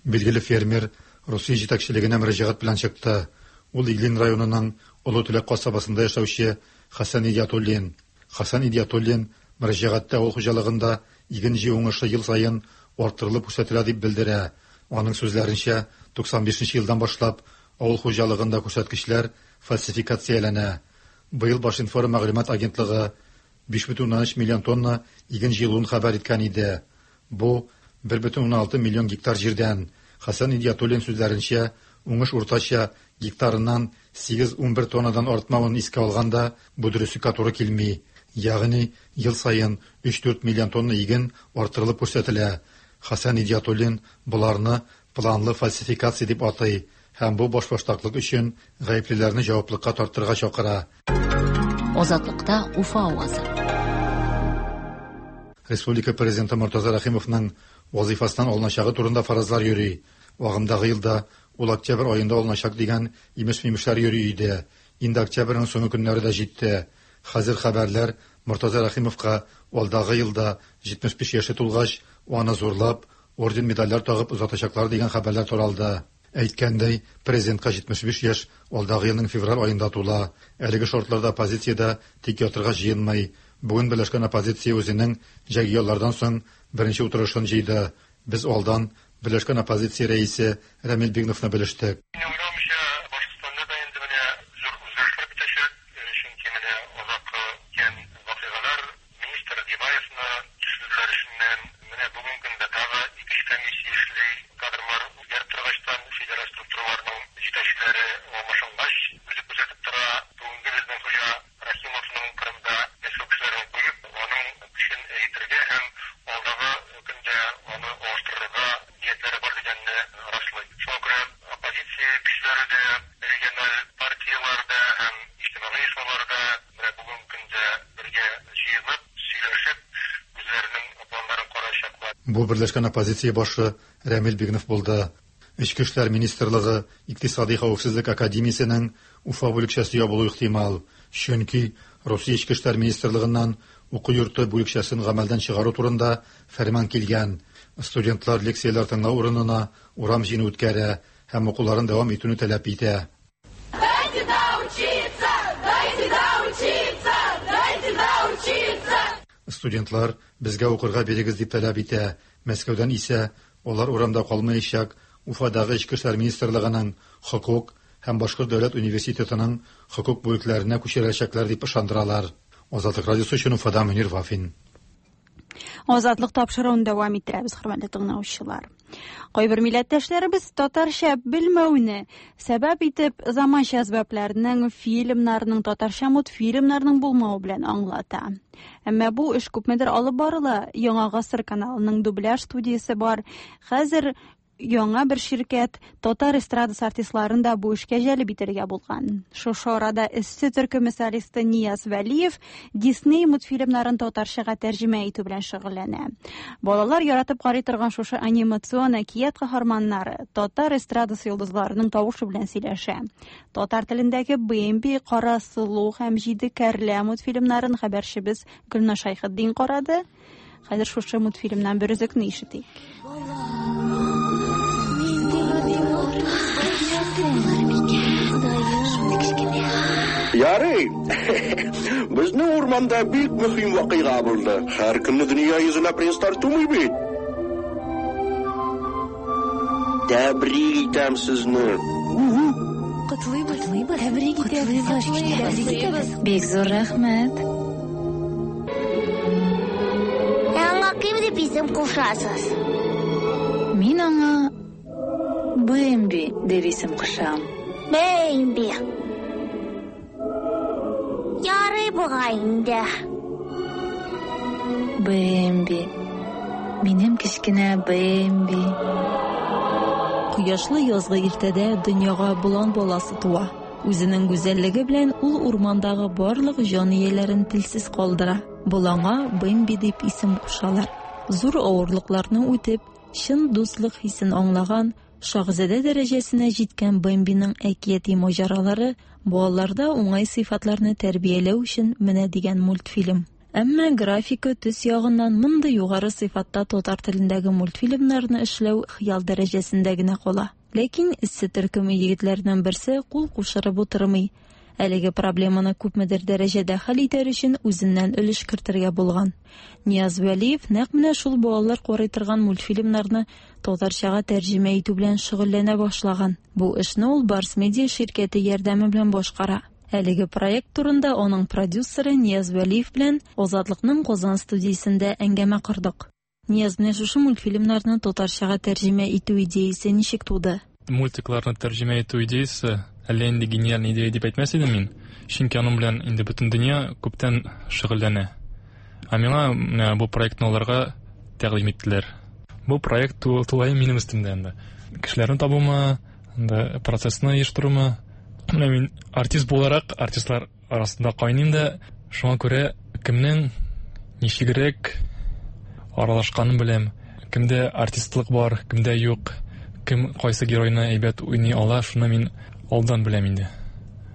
Билгеле фермер Русия җитәкчелегенә мөрәҗәгать белән чыкты. Ул Иглин районының Олы Теләк касабасында яшәүче Хәсән Идиатуллин. Хәсән Идиатуллин мөрәҗәгатьтә авыл хуҗалыгында иген җыю уңышы ел саен арттырылып күрсәтелә дип белдерә. Аның сүзләренчә, 95 елдан башлап авыл хуҗалыгында күрсәткечләр фальсификацияләнә. Быел Башинформ мәгълүмат агентлыгы 5,3 миллион тонна иген җыелуын хәбәр иткән иде. Бу 1,6 миллион гектар җирдән. Хәсән Идиатуллин сүзләренчә, уңыш уртача гектарыннан 8-11 тоннадан артмавын искә алганда, бу дөреслеккә туры килми. Ягъни ел саен 3-4 миллион тонна иген арттырылып күрсәтелә. Хәсән Идиатуллин боларны планлы фальсификация дип атый һәм бу башбаштаклык өчен гаеплеләрне җаваплыкка тартырга чакыра. Азатлыкта Уфа авазы. Республика президенты Мортаза Рәхимовның вазифасыннан алыначагы турында фаразлар йөри. Агымдагы елда ул октябрь аенда алыначак дигән имеш-мимешләр йөри иде. Инде октябрьнең соңгы көннәре дә җитте. Хәзер хәбәрләр Мортаза Рәхимовка алдагы елда 75 яше тулгач, аны зурлап, орден-медальләр тагып озатачаклар дигән хәбәрләр таралды. Әйткәндәй, президентка 75 яшь алдагы елның февраль аенда тула. Әлеге шартларда оппозиция тик ятырга җыенмый. Бүген берләшкән оппозиция үзенең җәйге яллардан соң беренче утырышын җыйды. Без алдан берләшкән оппозиция рәисе Рәмил Бигновны белештек. Бу берләшкән оппозиция башы Рәмил Бигнов булды. Эчке эшләр министрлыгы Икътисади хәвефсезлек академиясенең Уфа бүлекчәсе ябылу ихтимал. Чөнки Русия Эчке эшләр министрлыгыннан уку йорты бүлекчәсен гамәлдән чыгару турында фәрман килгән. Студентлар лекцияләр тыңлау урынына урам җыены үткәрә һәм укуларын дәвам итүне таләп итә. Дайте доучиться! Дайте доучиться! Дайте доучиться! Студентлар безгә укырга бирегез дип таләп итә. Мәскәүдән исә алар урамда калмаячак. Уфадагы Эчке эшләр министрлыгының хокук һәм Башкорт дәүләт университетының хокук бүлекләренә күчерәчәкләр дип ышандыралар. Азатлык радиосы өчен Уфада Мөнир Вафин. Азатлык тапшыруын дәвам иттерәбез, хөрмәтле тыңлаучылар. Кайбер милләттәшләребез татарча белмәүне сәбәп итеп заманча әсбапларның, фильмнарның, татарча мультфильмнарның булмавы белән аңлата. Әмма бу эш күпмедер алып барыла. Яңа гасыр каналының дубляж студиясе бар. Хәзер яңа бер ширкәт татар эстрадасы артистларын да бу эшкә җәлеп итәргә булган. Шушы арада Эссе төркеме солисты Нияз Вәлиев Дисней мультфильмнарын татарчага тәрҗемә итү белән шөгыльләнә. Балалар яратып карый торган шушы анимацион әкият каһарманнары татар эстрадасы йолдызларының тавышы белән сөйләшә. Татар телендәге Бэмби, Кара сылу һәм Җиде кәрлә мультфильмнарын хәбәрчебез Гөлназ Шәйхетдин карады. Хәзер шушы мультфильмнан бер өзекне ишетик. Ярый. Безнең урманда бик мөһим вакыйга булды. Һәр көнне дөнья йөзенә принцлар тумый бит. Тәбрик итәм сезне. Котлыйбыз. Тәбрик итәбез. Бик зур рәхмәт. Ә аңа кем дип исем кушасыз? Мин аңа Бэмби дип исем кушам. Бэмби. Ярый бугай инде. Бэмби. Минем кечкенә Бэмби. Кояшлы язгы иртәдә дөньяга болан баласы туа. Үзенең гүзәллеге белән ул урмандагы барлык җан ияләрен телсез калдыра. Боланга Бэмби дип исем кушалар. Зур авырлыкларны үтеп, чын дуслык хисен аңлаган, шаһзадә дәрәҗәсенә җиткән Бэмбиның әкияти маҗаралары балаларда уңай сыйфатларны тәрбияләү өчен менә дигән мультфильм. Әмма графика төс ягыннан мондый югары сыйфатта татар телендәге мультфильмнарны эшләү хыял дәрәҗәсендә генә кала. Ләкин Эссе төркеме егетләренең берсе кул кушырып утырмый. Әлеге проблеманы күпмедер дәрәҗәдә хәл итәр өчен үзеннән өлеш кертергә булган. Нияз Вәлиев нәкъ менә шул балалар карый торган мультфильмнарны татарчага тәрҗемә итү белән шөгыльләнә башлаган. Бу эшне ул Барс Медиа ширкәте ярдәме белән башкара. Әлеге проект турында аның продюсеры Нияз Вәлиев белән Азатлыкның Казан студиясендә әңгәмә кордык. Нияз, менә шушы мультфильмнарны татарчага тәрҗемә итү идеясе ничек туды? Мультикларны тәрҗемә итү идеясе Әллә инде гениаль идея дип әйтмәс идем мин, чөнки аның белән инде бөтен дөнья күптән шөгыльләнә. Ә миңа менә бу проектны алырга тәкъдим иттеләр. Бу проект тулаем минем өстемдә инде. Кешеләрне табумы, анда процессны оештырумы. Менә мин артист буларак артистлар арасында кайныйм да, шуңа күрә кемнең ничегрәк аралашканын беләм. Кемдә артистлык бар, кемдә юк, кем кайсы геройны әйбәт уйный ала, шуны мин алдан беләм инде.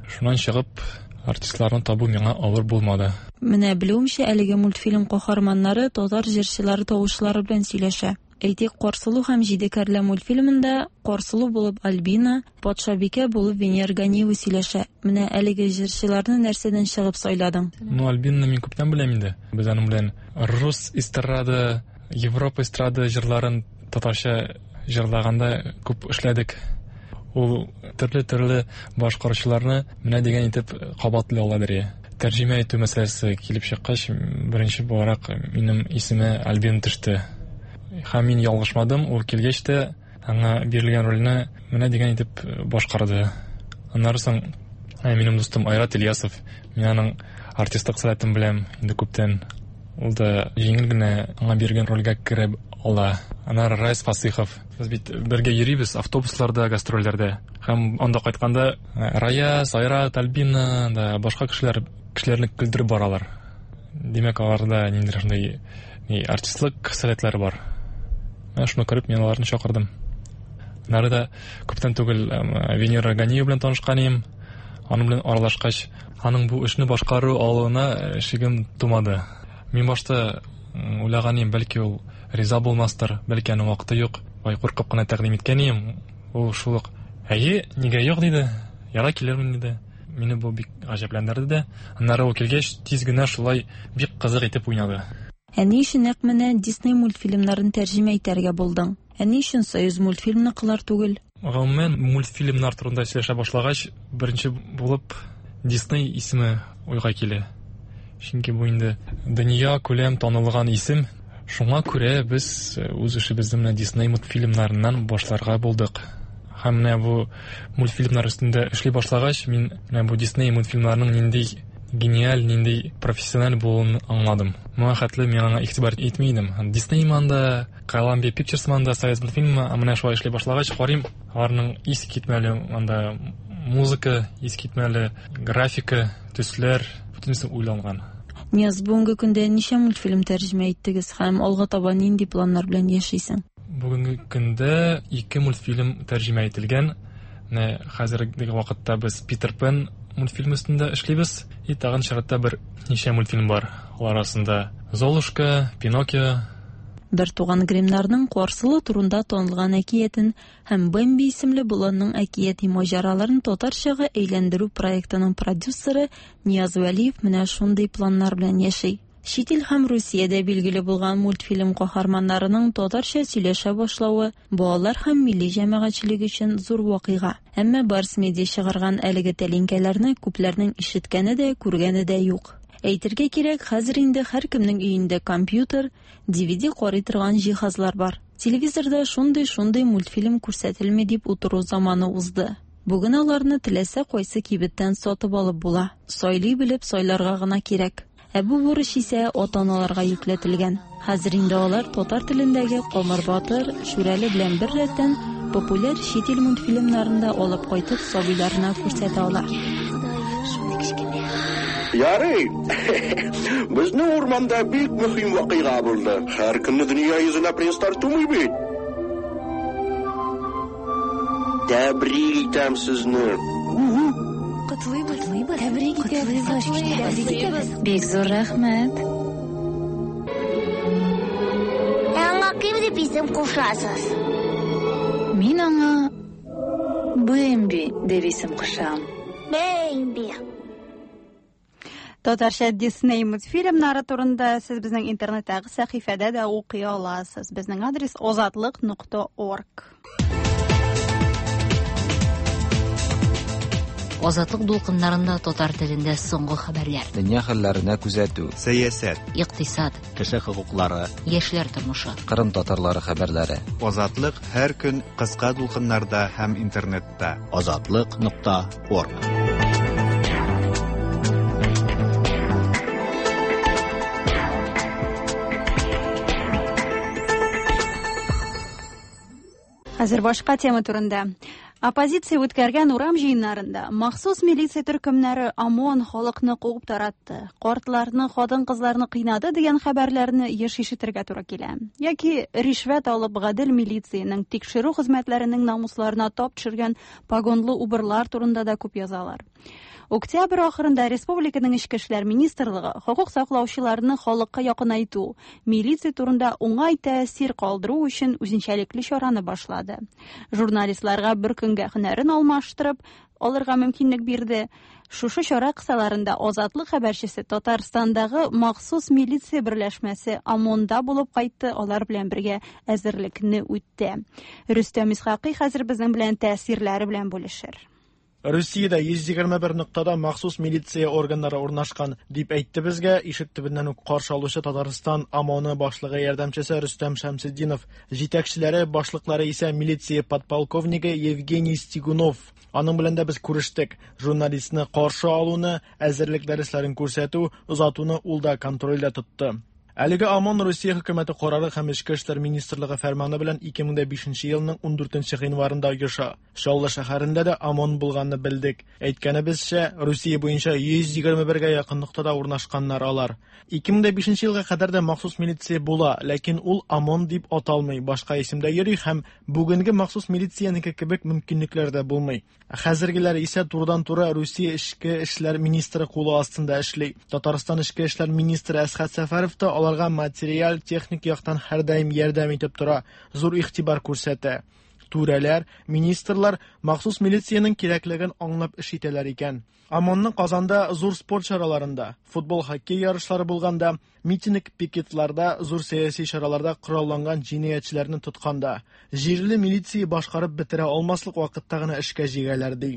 Шуннан чыгып, артистларны табу миңа авыр булмады. Менә белүемчә, әлеге мультфильм каһарманнары татар җырчылары тавышлары белән сөйләшә. Әйтик, Карсылу һәм җиде кәрлә мультфильмында Карсылу булып Альбина, патшабикә булып Венера Ганиева сөйләшә. Менә әлеге җырчыларны нәрсәдән чыгып сайладың? Ну, Альбинаны мин күптән беләм инде. Без аның белән рус эстрада, Европа эстрада җырларын татарча җырлаганда күп эшләдек. Ул төрле-төрле башкаручыларны менә дигән итеп кабатлый ала бирә. Тәрҗемә итү мәсьәләсе килеп чыккач, беренче буларак минем исемә Альбина төште. Һәм мин ялгышмадым, ул килгәч тә аңа бирелгән рольне менә дигән итеп башкарды. Аннары соң минем дустым Айрат Ильясов, мин аның артистлык сәләтен беләм инде күптән. Ул да җиңел генә аңа бирелгән рольгә керә ала. Аннары Райс Фасыйхов. Без бит бергә йөрибез автобусларда, гастрольләрдә. Һәм анда кайтканда Раяз, Айрат, Альбина да башка кешеләр кешеләрне көлдереп баралар. Димәк, аларда ниндидер шундый ни артистлык сәләтләре бар. Менә шуны күреп мин аларны чакырдым. Аннары да күптән түгел Венера Ганиева белән танышкан идем. Аның белән аралашкач, аның бу эшне башкару алуына шигем тумады. Мин башта уйлаган идем, бәлки ул риза булмастыр, бәлки аның вакыты юк. Бай куркып кына тәкъдим иткән идем. Ул шул ук, әйе, нигә юк диде. Ярар, килермен диде. Мине бу бик гаҗәпләндерде дә. Аннары ул килгәч, тиз генә шулай бик кызык итеп уйнады. Ә ни өчен нәкъ менә Дисней мультфильмнарын тәрҗемә итәргә булдың? Ә ни өчен Союзмультфильмныкылар түгел? Гомумән, мультфильмнар турында сөйләшә башлагач, беренче булып Дисней исеме уйга килә. Чөнки бу инде дөнья күләм танылган исем. Шуңа күрә без үз эшебезне менә Дисней мультфильмнарыннан башларга булдык. Һәм менә бу мультфильмнар өстендә эшли башлагач, мин менә бу Дисней мультфильмнарының нинди гениаль, нинди профессиональ булуын аңладым. Моңа хәтле мин аңа игътибар итми идем. Дисней анда, Columbia Pictures анда, Союз мультфильмы, ә менә шулай эшли башлагач, карыйм, аларның искитмәле анда музыка, искитмәле графика, төсләр, бөтенесе уйланган. Нияз, бүгенге көндә ничә мультфильм тәрҗемә иттегез һәм алга таба нинди планнар белән яшисең? Бүгенге көндә ике мультфильм тәрҗемә ителгән. Менә хәзерге вакытта без Питер Пен мультфильмы өстендә эшлибез. И тагын чиратта бер ничә мультфильм бар. Алар арасында Золушка, Пиноккио. Бертуган Гриммнарның Карсылу турында танылган әкиятен һәм Бэмби исемле боланның әкияти маҗараларын татарчага әйләндерү проектының продюсеры Нияз Вәлиев менә шундый планнар белән яши. Чит ил һәм Русиядә билгеле булган мультфильм каһарманнарының татарча сөйләшә башлавы балалар һәм милли җәмәгатьчелек өчен зур вакыйга. Әмма Барс Медиа чыгарган әлеге тәлинкәләрне күпләрнең ишеткәне дә, күргәне дә юк. Әйтергә кирәк, хәзер инде һәркемнең өендә компьютер, DVD карый торган җиһазлар бар. Телевизорда шундый-шундый мультфильм күрсәтелми дип утыру заманы узды. Бүген аларны теләсә кайсы кибеттән сатып алып була. Сайлый белеп сайларга гына кирәк. Ә бу бурыч исә ата-аналарга йөкләтелгән. Хәзер инде алар татар телендәге Камыр батыр, Шүрәле белән бер рәттән популяр чит ил мультфильмнарын да алып кайтып сабыйларына күрсәтә ала. Ярый. Безнең урманда бик мөһим вакыйга булды. Һәр көнне дөнья йөзенә принцлар тумый бит. Тәбрик итәм сезне. Котлыйбыз. Тәбрик итәбез. Тәбрик итәбез. Бик зур рәхмәт. Ә аңа кем дип исем кушасыз? Мин аңа Бэмби дип исем кушам. Бэмби. Татарча Дисней мультфильмнары турында сез безнең интернеттагы сәхифәдә дә укый аласыз. Безнең адрес озатлык.орг. Азатлык дулкыннарында татар телендә соңгы хәбәрләр. Дөнья хәлләренә күзәтү. Сәясәт. Икътисад. Кеше хокуклары. Яшьләр тормышы. Кырым татарлары хәбәрләре. Азатлык һәр көн кыска дулкыннарда һәм интернетта. Азатлык нокта орг. Хәзер башка тема турында. Оппозиция үткәргән урам җыеннарында махсус милиция төркемнәре ОМОН халыкны куып таратты, картларны, хатын-кызларны кыйнады дигән хәбәрләрне еш ишетергә туры килә. Яки ришвәт алып гадел милициянең тикшерү хезмәтләренең намусларына тап төшергән погонлы убырлар турында да күп язалар. Октябрь ахырында республиканың Эчке эшләр министрлыгы хокук саклаучыларны халыкка якынайту, милиция турында уңай тәэсир калдыру өчен үзенчәлекле чараны башлады. Журналистларга бер көнгә һөнәрен алмаштырып алырга мөмкинлек бирде. Шушы чара кысаларында Азатлык хәбәрчесе Татарстандагы махсус милиция берләшмәсе ОМОНда булып кайтты, алар белән бергә әзерлекне үтте. Рөстәм Исхакый хәзер безнең белән тәэсирләре белән бүлешер. Русиядә 121 ноктада махсус милиция органнары урнашкан, дип әйтте безгә ишек төбеннән үк каршы алучы Татарстан ОМОНы башлыгы ярдәмчесе Рөстәм Шәмсетдинов. Җитәкчеләре, башлыклары исә милиция подполковнигы Евгений Стигунов. Аның белән дә без күрештек. Журналистны каршы алуны, әзерлек дәресләрен күрсәтү, озатуны ул да контрольдә тотты. Әлеге ОМОН Русия хөкүмәте карары һәм Эчке эшләр министрлыгы фәрманы белән 2005 елның 14 гыйнварында оеша. Чаллы шәһәрендә дә ОМОН булганны белдек. Әйткәнебезчә, Русия буенча 121гә якын ноктада урнашканнар алар. 2005 елга кадәр дә махсус милиция була, ләкин ул ОМОН дип аталмый, башка исемдә йөри һәм бүгенге махсус милициянеке кебек мөмкинлекләр дә булмый. Хәзергеләр исә турыдан-туры Русия эчке эшләр министры кулы астында эшли. Татарстан эчке эшләр министры Әсхәт Сәфәров та аларга материаль, техник яктан һәрдаим ярдәм итеп тора, зур игътибар күрсәтә. Түрәләр, министрлар махсус милициянең кирәклеген аңлап эш итәләр икән. ОМОНны Казанда зур спорт чараларында, футбол, хоккей ярышлары булганда, митинг, пикетларда, зур сәяси чараларда коралланган җинаятьчеләрне тотканда, җирле милиция башкарып бетерә алмаслык вакытта гына эшкә җигәләр ди.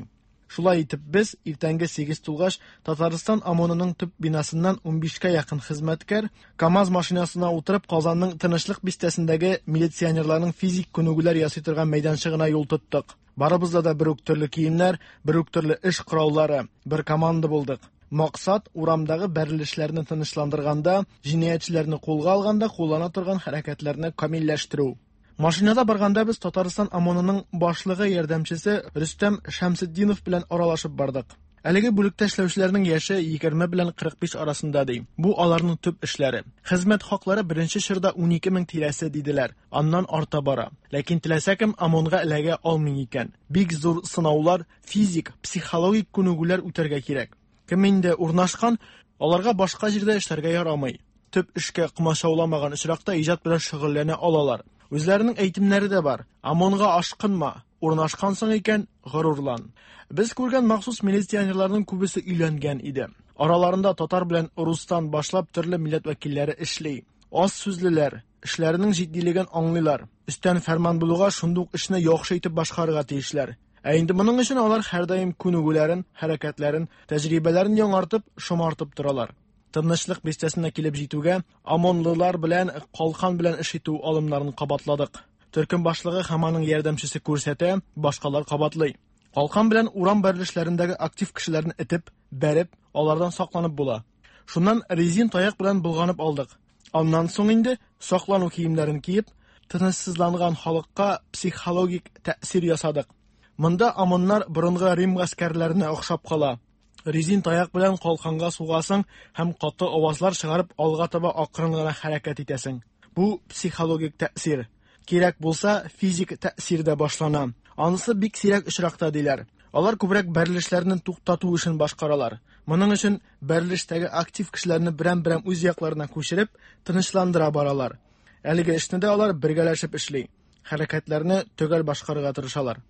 Шулай итеп без иртәнге 8 тулгач Татарстан ОМОНының төп бинасыннан 15кә якын хезмәткәр КАМАЗ машинасына утырып Казанның Тынычлык бистәсендәге милиционерларның физик күнегүләр ясый торган мәйданчыгына юл тоттык. Барыбызда да бер үк төрле киемнәр, бер үк төрле эш кораллары, бер команда булдык. Максат урамдагы бәрелешләрне тынычландырганда, җинаятьчеләрне кулга алганда куллана торган хәрәкәтләрне камилләштерү. Машинада барганда без Татарстан ОМОНының башлыгы ярдәмчесе Рөстәм Шәмсетдинов белән аралашып бардык. Әлеге бүлектә эшләүчеләрнең яше 20 белән 45 арасында ди. Бу аларның төп эшләре. Хезмәт хаклары беренче чорда 12 мең тирәсе диделәр. Аннан арта бара. Ләкин теләсә кем ОМОНга эләгә алмый икән. Бик зур сынаулар, физик, психологик күнегүләр үтәргә кирәк. Кем инде урнашкан, аларга башка җирдә эшләргә ярамый. Төп эшкә комачауламаган очракта иҗат белән шөгыльләнә алалар. Үзләренең әйтемнәре дә бар. ОМОНга ашкынма, урнашкансың икән, горурлан. Без күргән махсус милиционерларның күбесе өйләнгән иде. Араларында татар белән рустан башлап төрле милләт вәкилләре эшли. Аз сүзлеләр, эшләренең җитдилеген аңлыйлар. Өстән фәрман булуга шундук эшне яхшы итеп башкарырга тиешләр. Ә инде моның өчен алар һәрдаим күнегүләрен, хәрәкәтләрен, тәҗрибәләрен яңартып, шомартып торалар. Тынычлык бистәсенә килеп җитүгә, ОМОНлылар белән калкан белән эш итү алымнарын кабатладык. Төркем башлыгы һәм аның ярдәмчесе күрсәтә, башкалар кабатлый. Калкан белән урам бәрелешләрендәге актив кешеләрне этеп, бәреп, алардан сакланып була. Шуннан резин таяк белән болганып алдык. Аннан соң инде саклану киемнәрен киеп, тынычсызланган халыкка психологик тәэсир ясадык. Монда ОМОНнар борынгы Рим гаскәрләренә охшап кала. Резин таяк белән калканга сугасың һәм каты авазлар чыгарып алга таба акрын гына хәрәкәт итәсең. Бу психологик тәэсир. Кирәк булса, физик тәэсир дә башлана. Анысы бик сирәк очракта диләр. Алар күбрәк бәрелешләрне туктату эшен башкаралар. Моның өчен бәрелештәге актив кешеләрне берәм-берәм үз якларына күчереп, тынычландыра баралар. Әлеге эшне дә алар бергәләшеп эшли. Хәрәкәтләрне төгәл башкарырга тырышалар.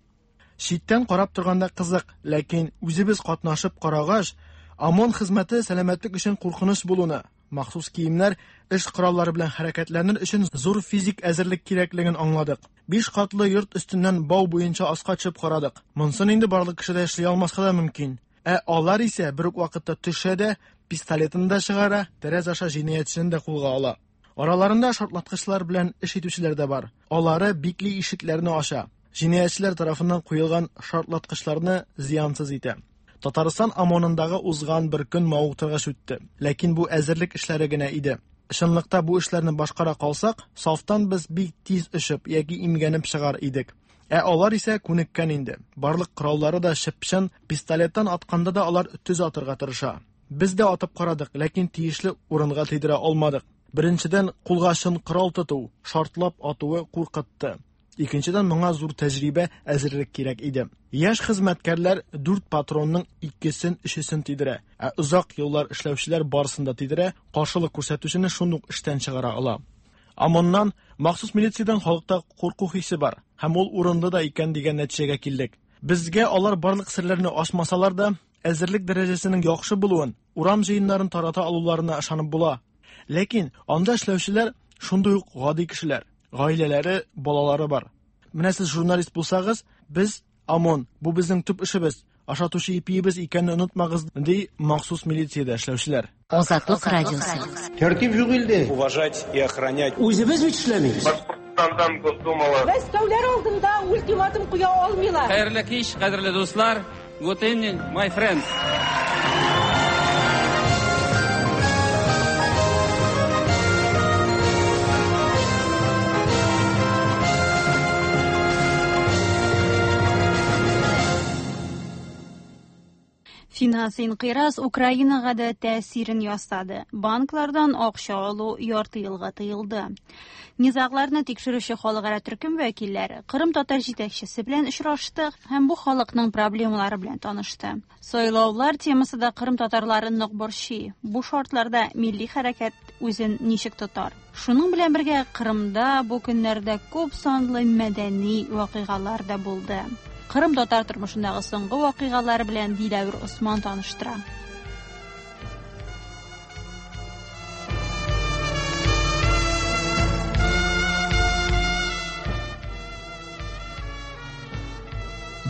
Читтән карап торганда кызык, ләкин үзебез катнашып карагач, ОМОН хезмәте сәламәтлек өчен куркыныч булуны, махсус киемнәр, эш кораллары белән хәрәкәтләнер өчен зур физик әзерлек кирәклеген аңладык. Биш катлы йорт өстеннән бау буенча аска төшеп карадык. Монысын инде барлык кеше дә эшли алмаска да мөмкин. Ә алар исә бер үк вакытта төшә дә, пистолетын да чыгара, тәрәз аша җинаятьчене дә кулга ала. Араларында шартлаткычлар белән эш итүчеләр дә бар. Алары бикле ишекләрне ача, җинаятьчеләр тарафыннан куелган шартлаткычларны зыянсыз итә. Татарстан ОМОНындагы узган бер көн мавыктыргыч үтте. Ләкин бу әзерлек эшләре генә иде. Чынлыкта бу эшләрне башкара калсак, сафтан без бик тиз очып яки имгәнеп чыгар идек. Ә алар исә күнеккән инде. Барлык кораллары да чып-чын, пистолеттан атканда да алар төз атырга тырыша. Без дә атып карадык, ләкин тиешле урынга тидерә алмадык. Беренчедән, кулга чын корал тоту, шартлап атуы куркытты. Икенчедән, моңа зур тәҗрибә, әзерлек кирәк иде. Яшь хезмәткәрләр дүрт патронның икесен, өчесен тидерә, ә озак еллар эшләүчеләр барысын да тидерә, каршылык күрсәтүчене шундук эштән чыгара ала. ОМОНнан, махсус милициядән халыкта курку хисе бар һәм ул урынлы да икән дигән нәтиҗәгә килдек. Безгә алар барлык серләрне ачмасалар да, әзерлек дәрәҗәсенең яхшы булуын, урам җыеннарын тарата алуларына ышанып була. Ләкин анда эшләүчеләр шундый ук гади кешеләр, гаиләләре, балалары бар. Менә сез журналист булсагыз, без ОМОН, бу безнең төп эшебез, ашатучы ипиебез икәнне онытмагыз, ди махсус милициядә эшләүчеләр. Азатлык радиосы. Тәртип юк илдә. Уважать и охранять. Үзебез бит эшләмибез. Башкортстандан Госдумалы. Мәскәүләр алдында ультиматум куя алмыйлар. Хәерле кич, кадерле дуслар. Good evening, my friends. Финанс инкыйраз Украинага да тәэсирен ясады. Банклардан акча алу ярты елга тыелды. Низагларны тикшерүче халыкара төркем вәкилләре Кырым татар җитәкчесе белән очрашты һәм бу халыкның проблемалары белән танышты. Сайлаулар темасы да Кырым татарларын нык борчый. Бу шартларда милли хәрәкәт үзен ничек тотар? Шуның белән бергә Кырымда бу көннәрдә күп санлы мәдәни вакыйгалар да булды. Кырым татар тормышындагы соңгы вакыйгалар белән Диләвер Осман таныштыра.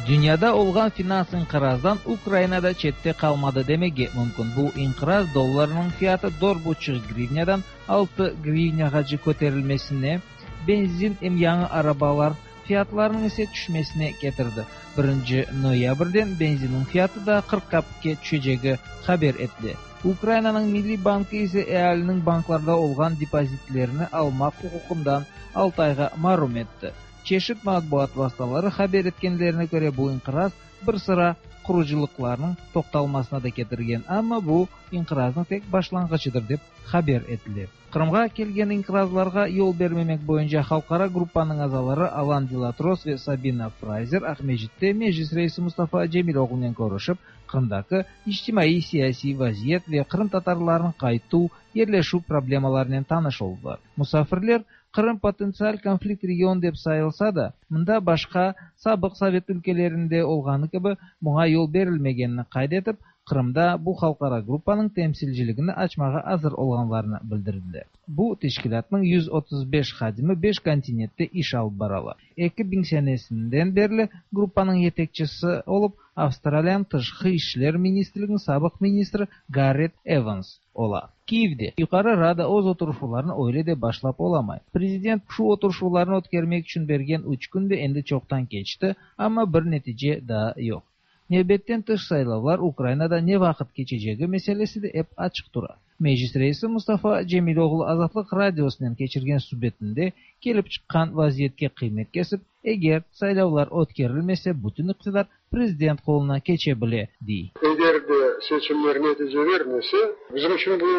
Dünyada olğan finans inqirazdan Ukraina da çette qalmadı demege mümkün. Bu inqiraz dollarnıñ fiyatı 4,5 grivnâdan 6 grivnâğace köterilmesine, benzin em yañı arabalar fiyatlarınıñ ise tüşmesine ketirdi. Birinci noyabrden benzinniñ fiyatı da 40 kapikke tüşecegi haber etile. Ukrainanıñ Milliy bankı ise ealiniñ banklarda olğan depozitlerini almaq uquqından altı ayğa marum etti. Çeşit matbuat vastaları haber etkenlerine köre bu inqiraz bir sıra qurucılıqlarnıñ toqtalmasına da ketirgen, amma bu inqiraznıñ tek başlanğıçıdır dep haber etile. Qırımğa kelgen inqirazlarğa yol bermemek boyunca halqara gruppanıñ azaları Alan Delatros ve Sabina Frayzer Aqmescitte Meclis reisi Mustafa Cemiloğlunen körüşip, Qırımdaki içtimaiy-siyasiy vaziyet ve qırımtatarlarnıñ qaytuv, yerleşüv problemalarınen tanış oldılar. Musafirler Qırım potentsial konflikt region dep sayılsa da, mında başqa sabıq sovet ülkelerinde olğanı kibi buña yol berilmegenini qayd etip, Qırımda bu halqara gruppanıñ temsilciligini açmağa azır olğanlarını bildirdiler. Bu teşkilâtnıñ 135 hadimi beş kontinentte iş alıp baralar. 2000 senesinden berli gruppanıñ yetekçisi olıp Avstraliyanıñ Tışqı işler ministrliginiñ sabıq ministri Garret Evans ola. Kiyevde Yuqarı Rada öz oturışuvlarını öyle de başlap olamay. Prezident şu oturışuvlarnı ötkermek içün bergen üç kün de endi çoqtan keçti, amma bir netice daa yoq. Nevbetten tış saylavlar Ukrainada ne vaqıt keçecegi meselesi de ep açıq tura. Meclis reisi Mustafa Cemiloğlu Azatlıq Radiosınen keçirgen subetinde kelip çıqqan vaziyetke qıymet kesip, eger saylavlar ötkerilmese bütün iqtidar prezident qoluna keçe bile, dey. Eger de seçimler netice bermese, bizim içün bu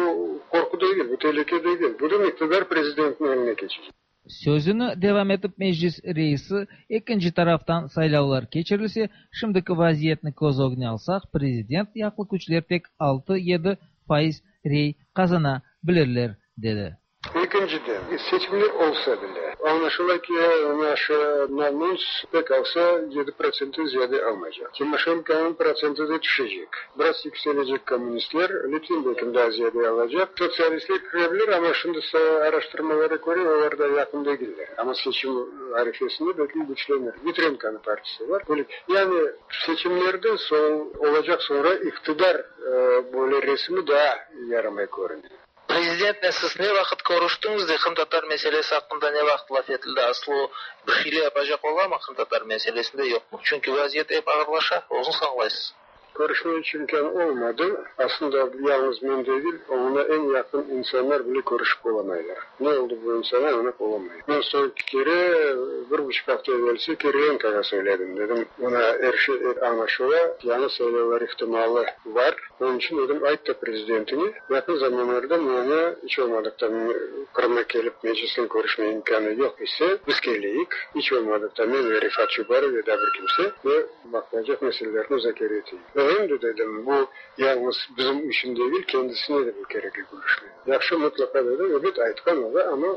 qorqu degil, bu telüke degil, bütün iqtidar prezidentniñ eline keçecek. Sözüni devam etip Meclis reisi, ekinci taraftan saylavlar keçirilse, şimdiki vaziyetni köz ögüne alsaq, prezident yaqlı küçler tek altı, yedi faiz rey qazana bilirler, dedi. Ekinciden, seçimler olsa bile, añlaşıla ki, naşı Namuns pek alsa 7 protsentten ziyade almaycaq. Timoşenkonıñ protsenti de tüşecek. Biraz yükselecek kommunistler, Litvin belki daa ziyade alacaq. Sotsialistler kire bilir, amma şimdi araştırmalara köre, olar da yaqın degiller. Amma seçim arefesinde belki küçlenir. Vitrenkonıñ partisi bar. Yani seçimlerden soñ olacaq soñra iqtidar böyle resimi daa yaramay körüne. Prezidentnen siz ne vaqıt körüştiñiz de qırımtatar meselesi aqqında ne vaqıt laf etildi? Aslı o bir şeyler yapacaq olamı qırımtatar meselesinde, yoqmı? Çünki vaziyet ep ağırlaşa, özüñiz añlaysız. Körüşmek imkân olmadı. Aslında yalıñız men degil, oña eñ yaqın insanlar bile körüşip olamaylar. Ne oldı bu insana, añlap olamayım. Men soñki kere 1,5 afta evelsi Kirilenkoğa söyledim. Dedim, mına er şey añlaşıla, yañı saylavlar ihtimalı bar. Onıñ içün dedim, ayt da prezidentine, yaqın zamanlarda mına iç olmadıqta Qırımğa kelip Meclisnen körüşme imkânı yoq ise, biz keleyik, iç olmadıqta men ve Refat Çubarov ya da bir kimse ve baqılacaq meselelerni muzakere eteyik. Ve em de dedim, bu yalıñız bizim içün degil, kendisine de bu kerekli körüşme. Yahşı, mıtlaqa dedi, ebet, aytqan ola, amma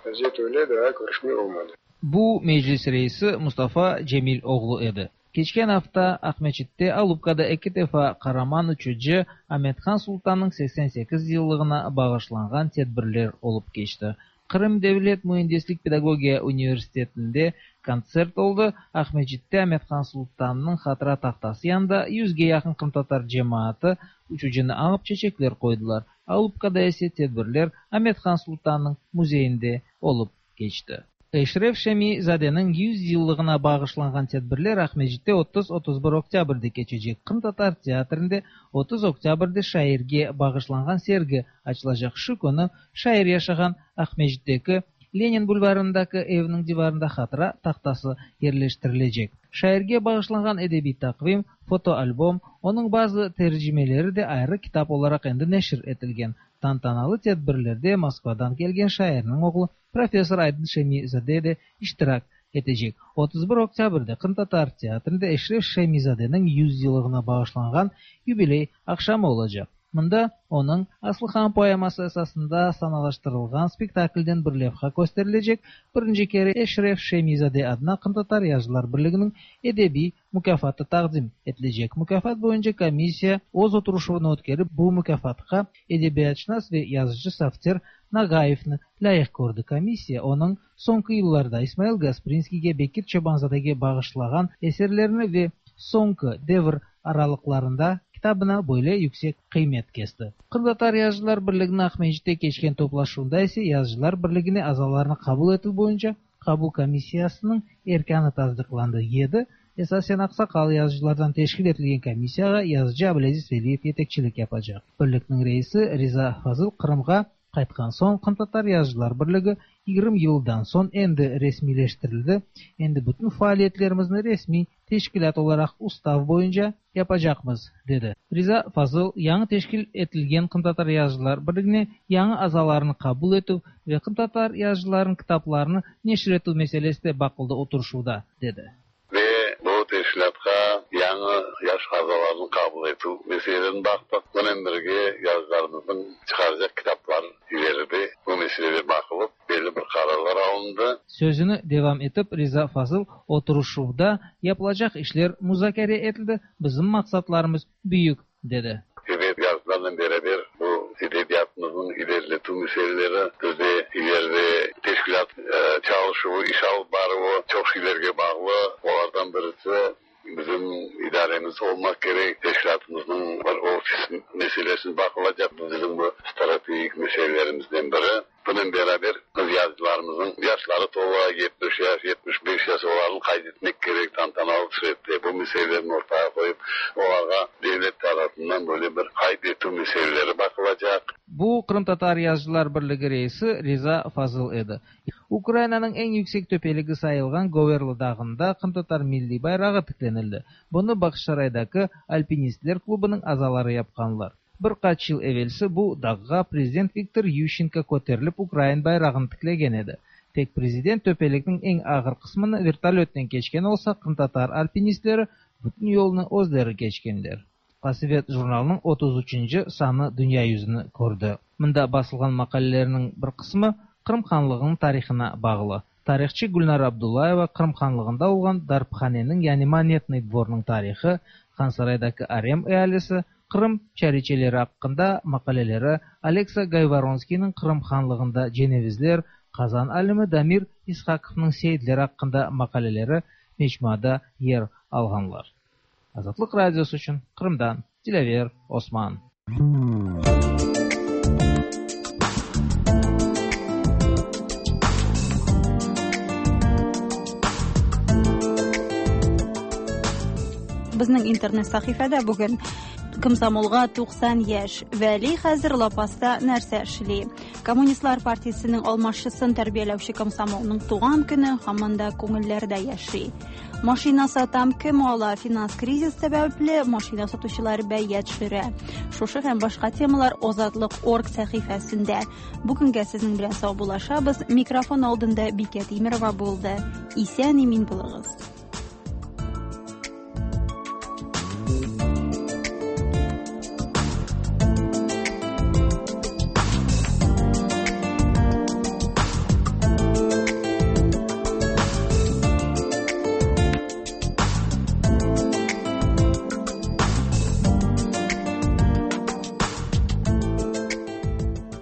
vaziyet öyle, daa körüşme olmadı. Bu Meclis reisi Mustafa Cemil oğlu edi. Keçken afta Aqmescitte Alupkada eki defa qaraman uçucı Amethan Sultannıñ 88 yıllığına bağışlanğan tedbirler olıp keçti. Qırım devlet müendislik pedagogiya universitetinde kontsert oldı. Aqmescitte Amethan Sultannıñ hatıra tahtası yanında 100ge yaqın qırımtatar cemaatı uçucını añıp çeçekler qoydılar. Alupkada ise tedbirler Amethan Sultannıñ müzeyinde olıp keçti. Eşref Şemi-zadeniñ 100 yıllığına bağışlanğan tedbirler Aqmescitte 30-31 oktâbrde keçecek. Qırımtatar teatrinde 30 oktâbrde şairge bağışlanğan sergi açılacaq. Şu künü şair yaşağan Aqmescitteki Lenin bulvarındaki eviniñ divarında hatıra tahtası yerleştirilecek. Şairge bağışlanğan edebiy taqvim, fotoalbom, onıñ bazı tercimeleri de ayrı kitap olaraq endi neşir etilgen. Tantanalı tedbirlerde Moskvadan kelgen şairniñ oğlu professor Aydın Şemi-zade de iştirak etecek. 31 oktâbrde Qırımtatar teatrinde Eşref Şemi-zadeniñ 100 yıllığına bağışlanğan yubiley aqşamı olacaq. Mında onıñ Aslıhan poeması esasında sanalaştırılğan spektaklden bir levha kösterilecek. Birinci kere Eşref Şemi-zade adına Qırımtatar yazıcılar birliginiñ edebiy mukâfatı taqdim etilecek. Mukâfat boyunca komissiya öz oturışuvını ötkerip, bu mukâfatqa edebiyatşınas ve yazıcı Safter Nagayevni lâyıq kördi. Komissiya onıñ soñki yıllarda İsmail Gasprinskiyge, Bekir Çobanzadege bağışlağan eserlerini ve Soñki devir aralıqlarında kitabına böyle yüksek qıymet kesti. Qırımtatar yazıcılar birliginiñ Aqmescitte keçken toplaşuvında ise Yazıcılar birligine azalarnı qabul etüv boyunca qabul komissiyasınıñ erkânı tasdıqlandı. Yedi esasen aqsaqal yazıcılardan teşkil etilgen komissiyağa yazıcı Ablâziz Veliyev yetekçilik yapacaq. Birlikniñ reisi Riza Fazıl Qırımğa qaytqan soñ Qırımtatar yazıcılar birligi 20 yıldan soñ endi resmiyleştirildi, endi bütün faaliyetlerimizni resmiy teşkilât olaraq ustav boyunca yapacaqmız, dedi. Riza Fazıl yañı teşkil etilgen Qırımtatar yazıcılar birligine yañı azalarnı qabul etüv ve qırımtatar yazıcılarınıñ kitaplarını neşir etüv meselesi de baqıldı oturışuvda, dedi. Ve bu teşkilâtqa yañı yaş azalarnı qabul etüv meselelerini baqtıq. Bunen birge yazıcılarımıznıñ çıqaracaq kitaplar ileride bu meseleler baqılıp, belli bir qararlar alındı. Sözüni devam etip Riza Fazıl oturışuvda yapılacaq işler muzakere etildi, bizim maqsatlarımız büyük, dedi. Ebet, yazıcılarnen beraber bu edebiyatımıznıñ ileriletüv meseleleri, bizde ileride teşkilât çalışuvı, iş alıp baruvı çoq şeylerge bağlı. Olardan birisi bizim idaremiz olmaq kerek, teşkilâtımıznıñ bir ofis meselesi baqılacaq, bu bizim bu strategik meselelerimizden biri. Bunen beraber biz yazıcılarımıznıñ yaşları tola, 70 yaş, 75 yaş, olarnı qayd etmek kerek tantanalı sürette, bu meselelerni ortağa qoyıp, olarğa devlet tarafından böyle bir qayd etüv meseleleri baqılacaq. Bu Qırımtatar yazıcılar birligi reisi Riza Fazıl edi. Ukrainanıñ eñ yüksek töpeligi sayılğan Goverla dağında qırımtatar milliy bayrağı tiklenildi. Bunı Bağçasaraydaki alpinistler klubınıñ azaları yapqanlar. Bir qaç yıl evelsi bu dağğa prezident Viktor Yuşçenko köterilip ukrain bayrağını tiklegen edi. Tek prezident töpelikniñ eñ ağır qısmını vertolötnen keçken olsa, qırımtatar alpinistleri bütün yolnı özleri keçkenler. Qasevet jurnalınıñ 33-nci sanı dünya yüzüni kördi. Mında basılğan maqalelerniñ bir qısmı Qırım hanlığınıñ tarihına bağlı. Tarihçı Gülnara Abdullayeva Qırım hanlığında olğan darphaneniñ yani Monetnıy dvornıñ tarihı, Hansaraydaki arem ealisi, Qırım çariçeleri aqqında maqaleleri, Oleksa Gayvoronskiyniñ Qırım hanlığında cenevizler, Qazan alimi Damir İshakovnıñ seyitler aqqında maqaleleri mecmuada yer alğanlar. Azatlıq Radiosı içün Qırımdan Dilâver Osman. Безнең интернет сәхифәдә бүген Комсомолга 90 яшь. Вәли хәзер лапаста нәрсә эшли? Коммунистлар партиясенең алмашчысын тәрбияләүче комсомолның туган көне һаман да күңелләрдә яши. Машина сатам, кем ала? Финанс кризис сәбәпле машина сатучылар бәя төшерә. Шушы һәм башка темалар Озатлык орг сәхифәсендә. Бүгенгә сезнең белән саубуллашабыз. Микрофон алдында Бикә Тимерова булды. Исән имин булыгыз.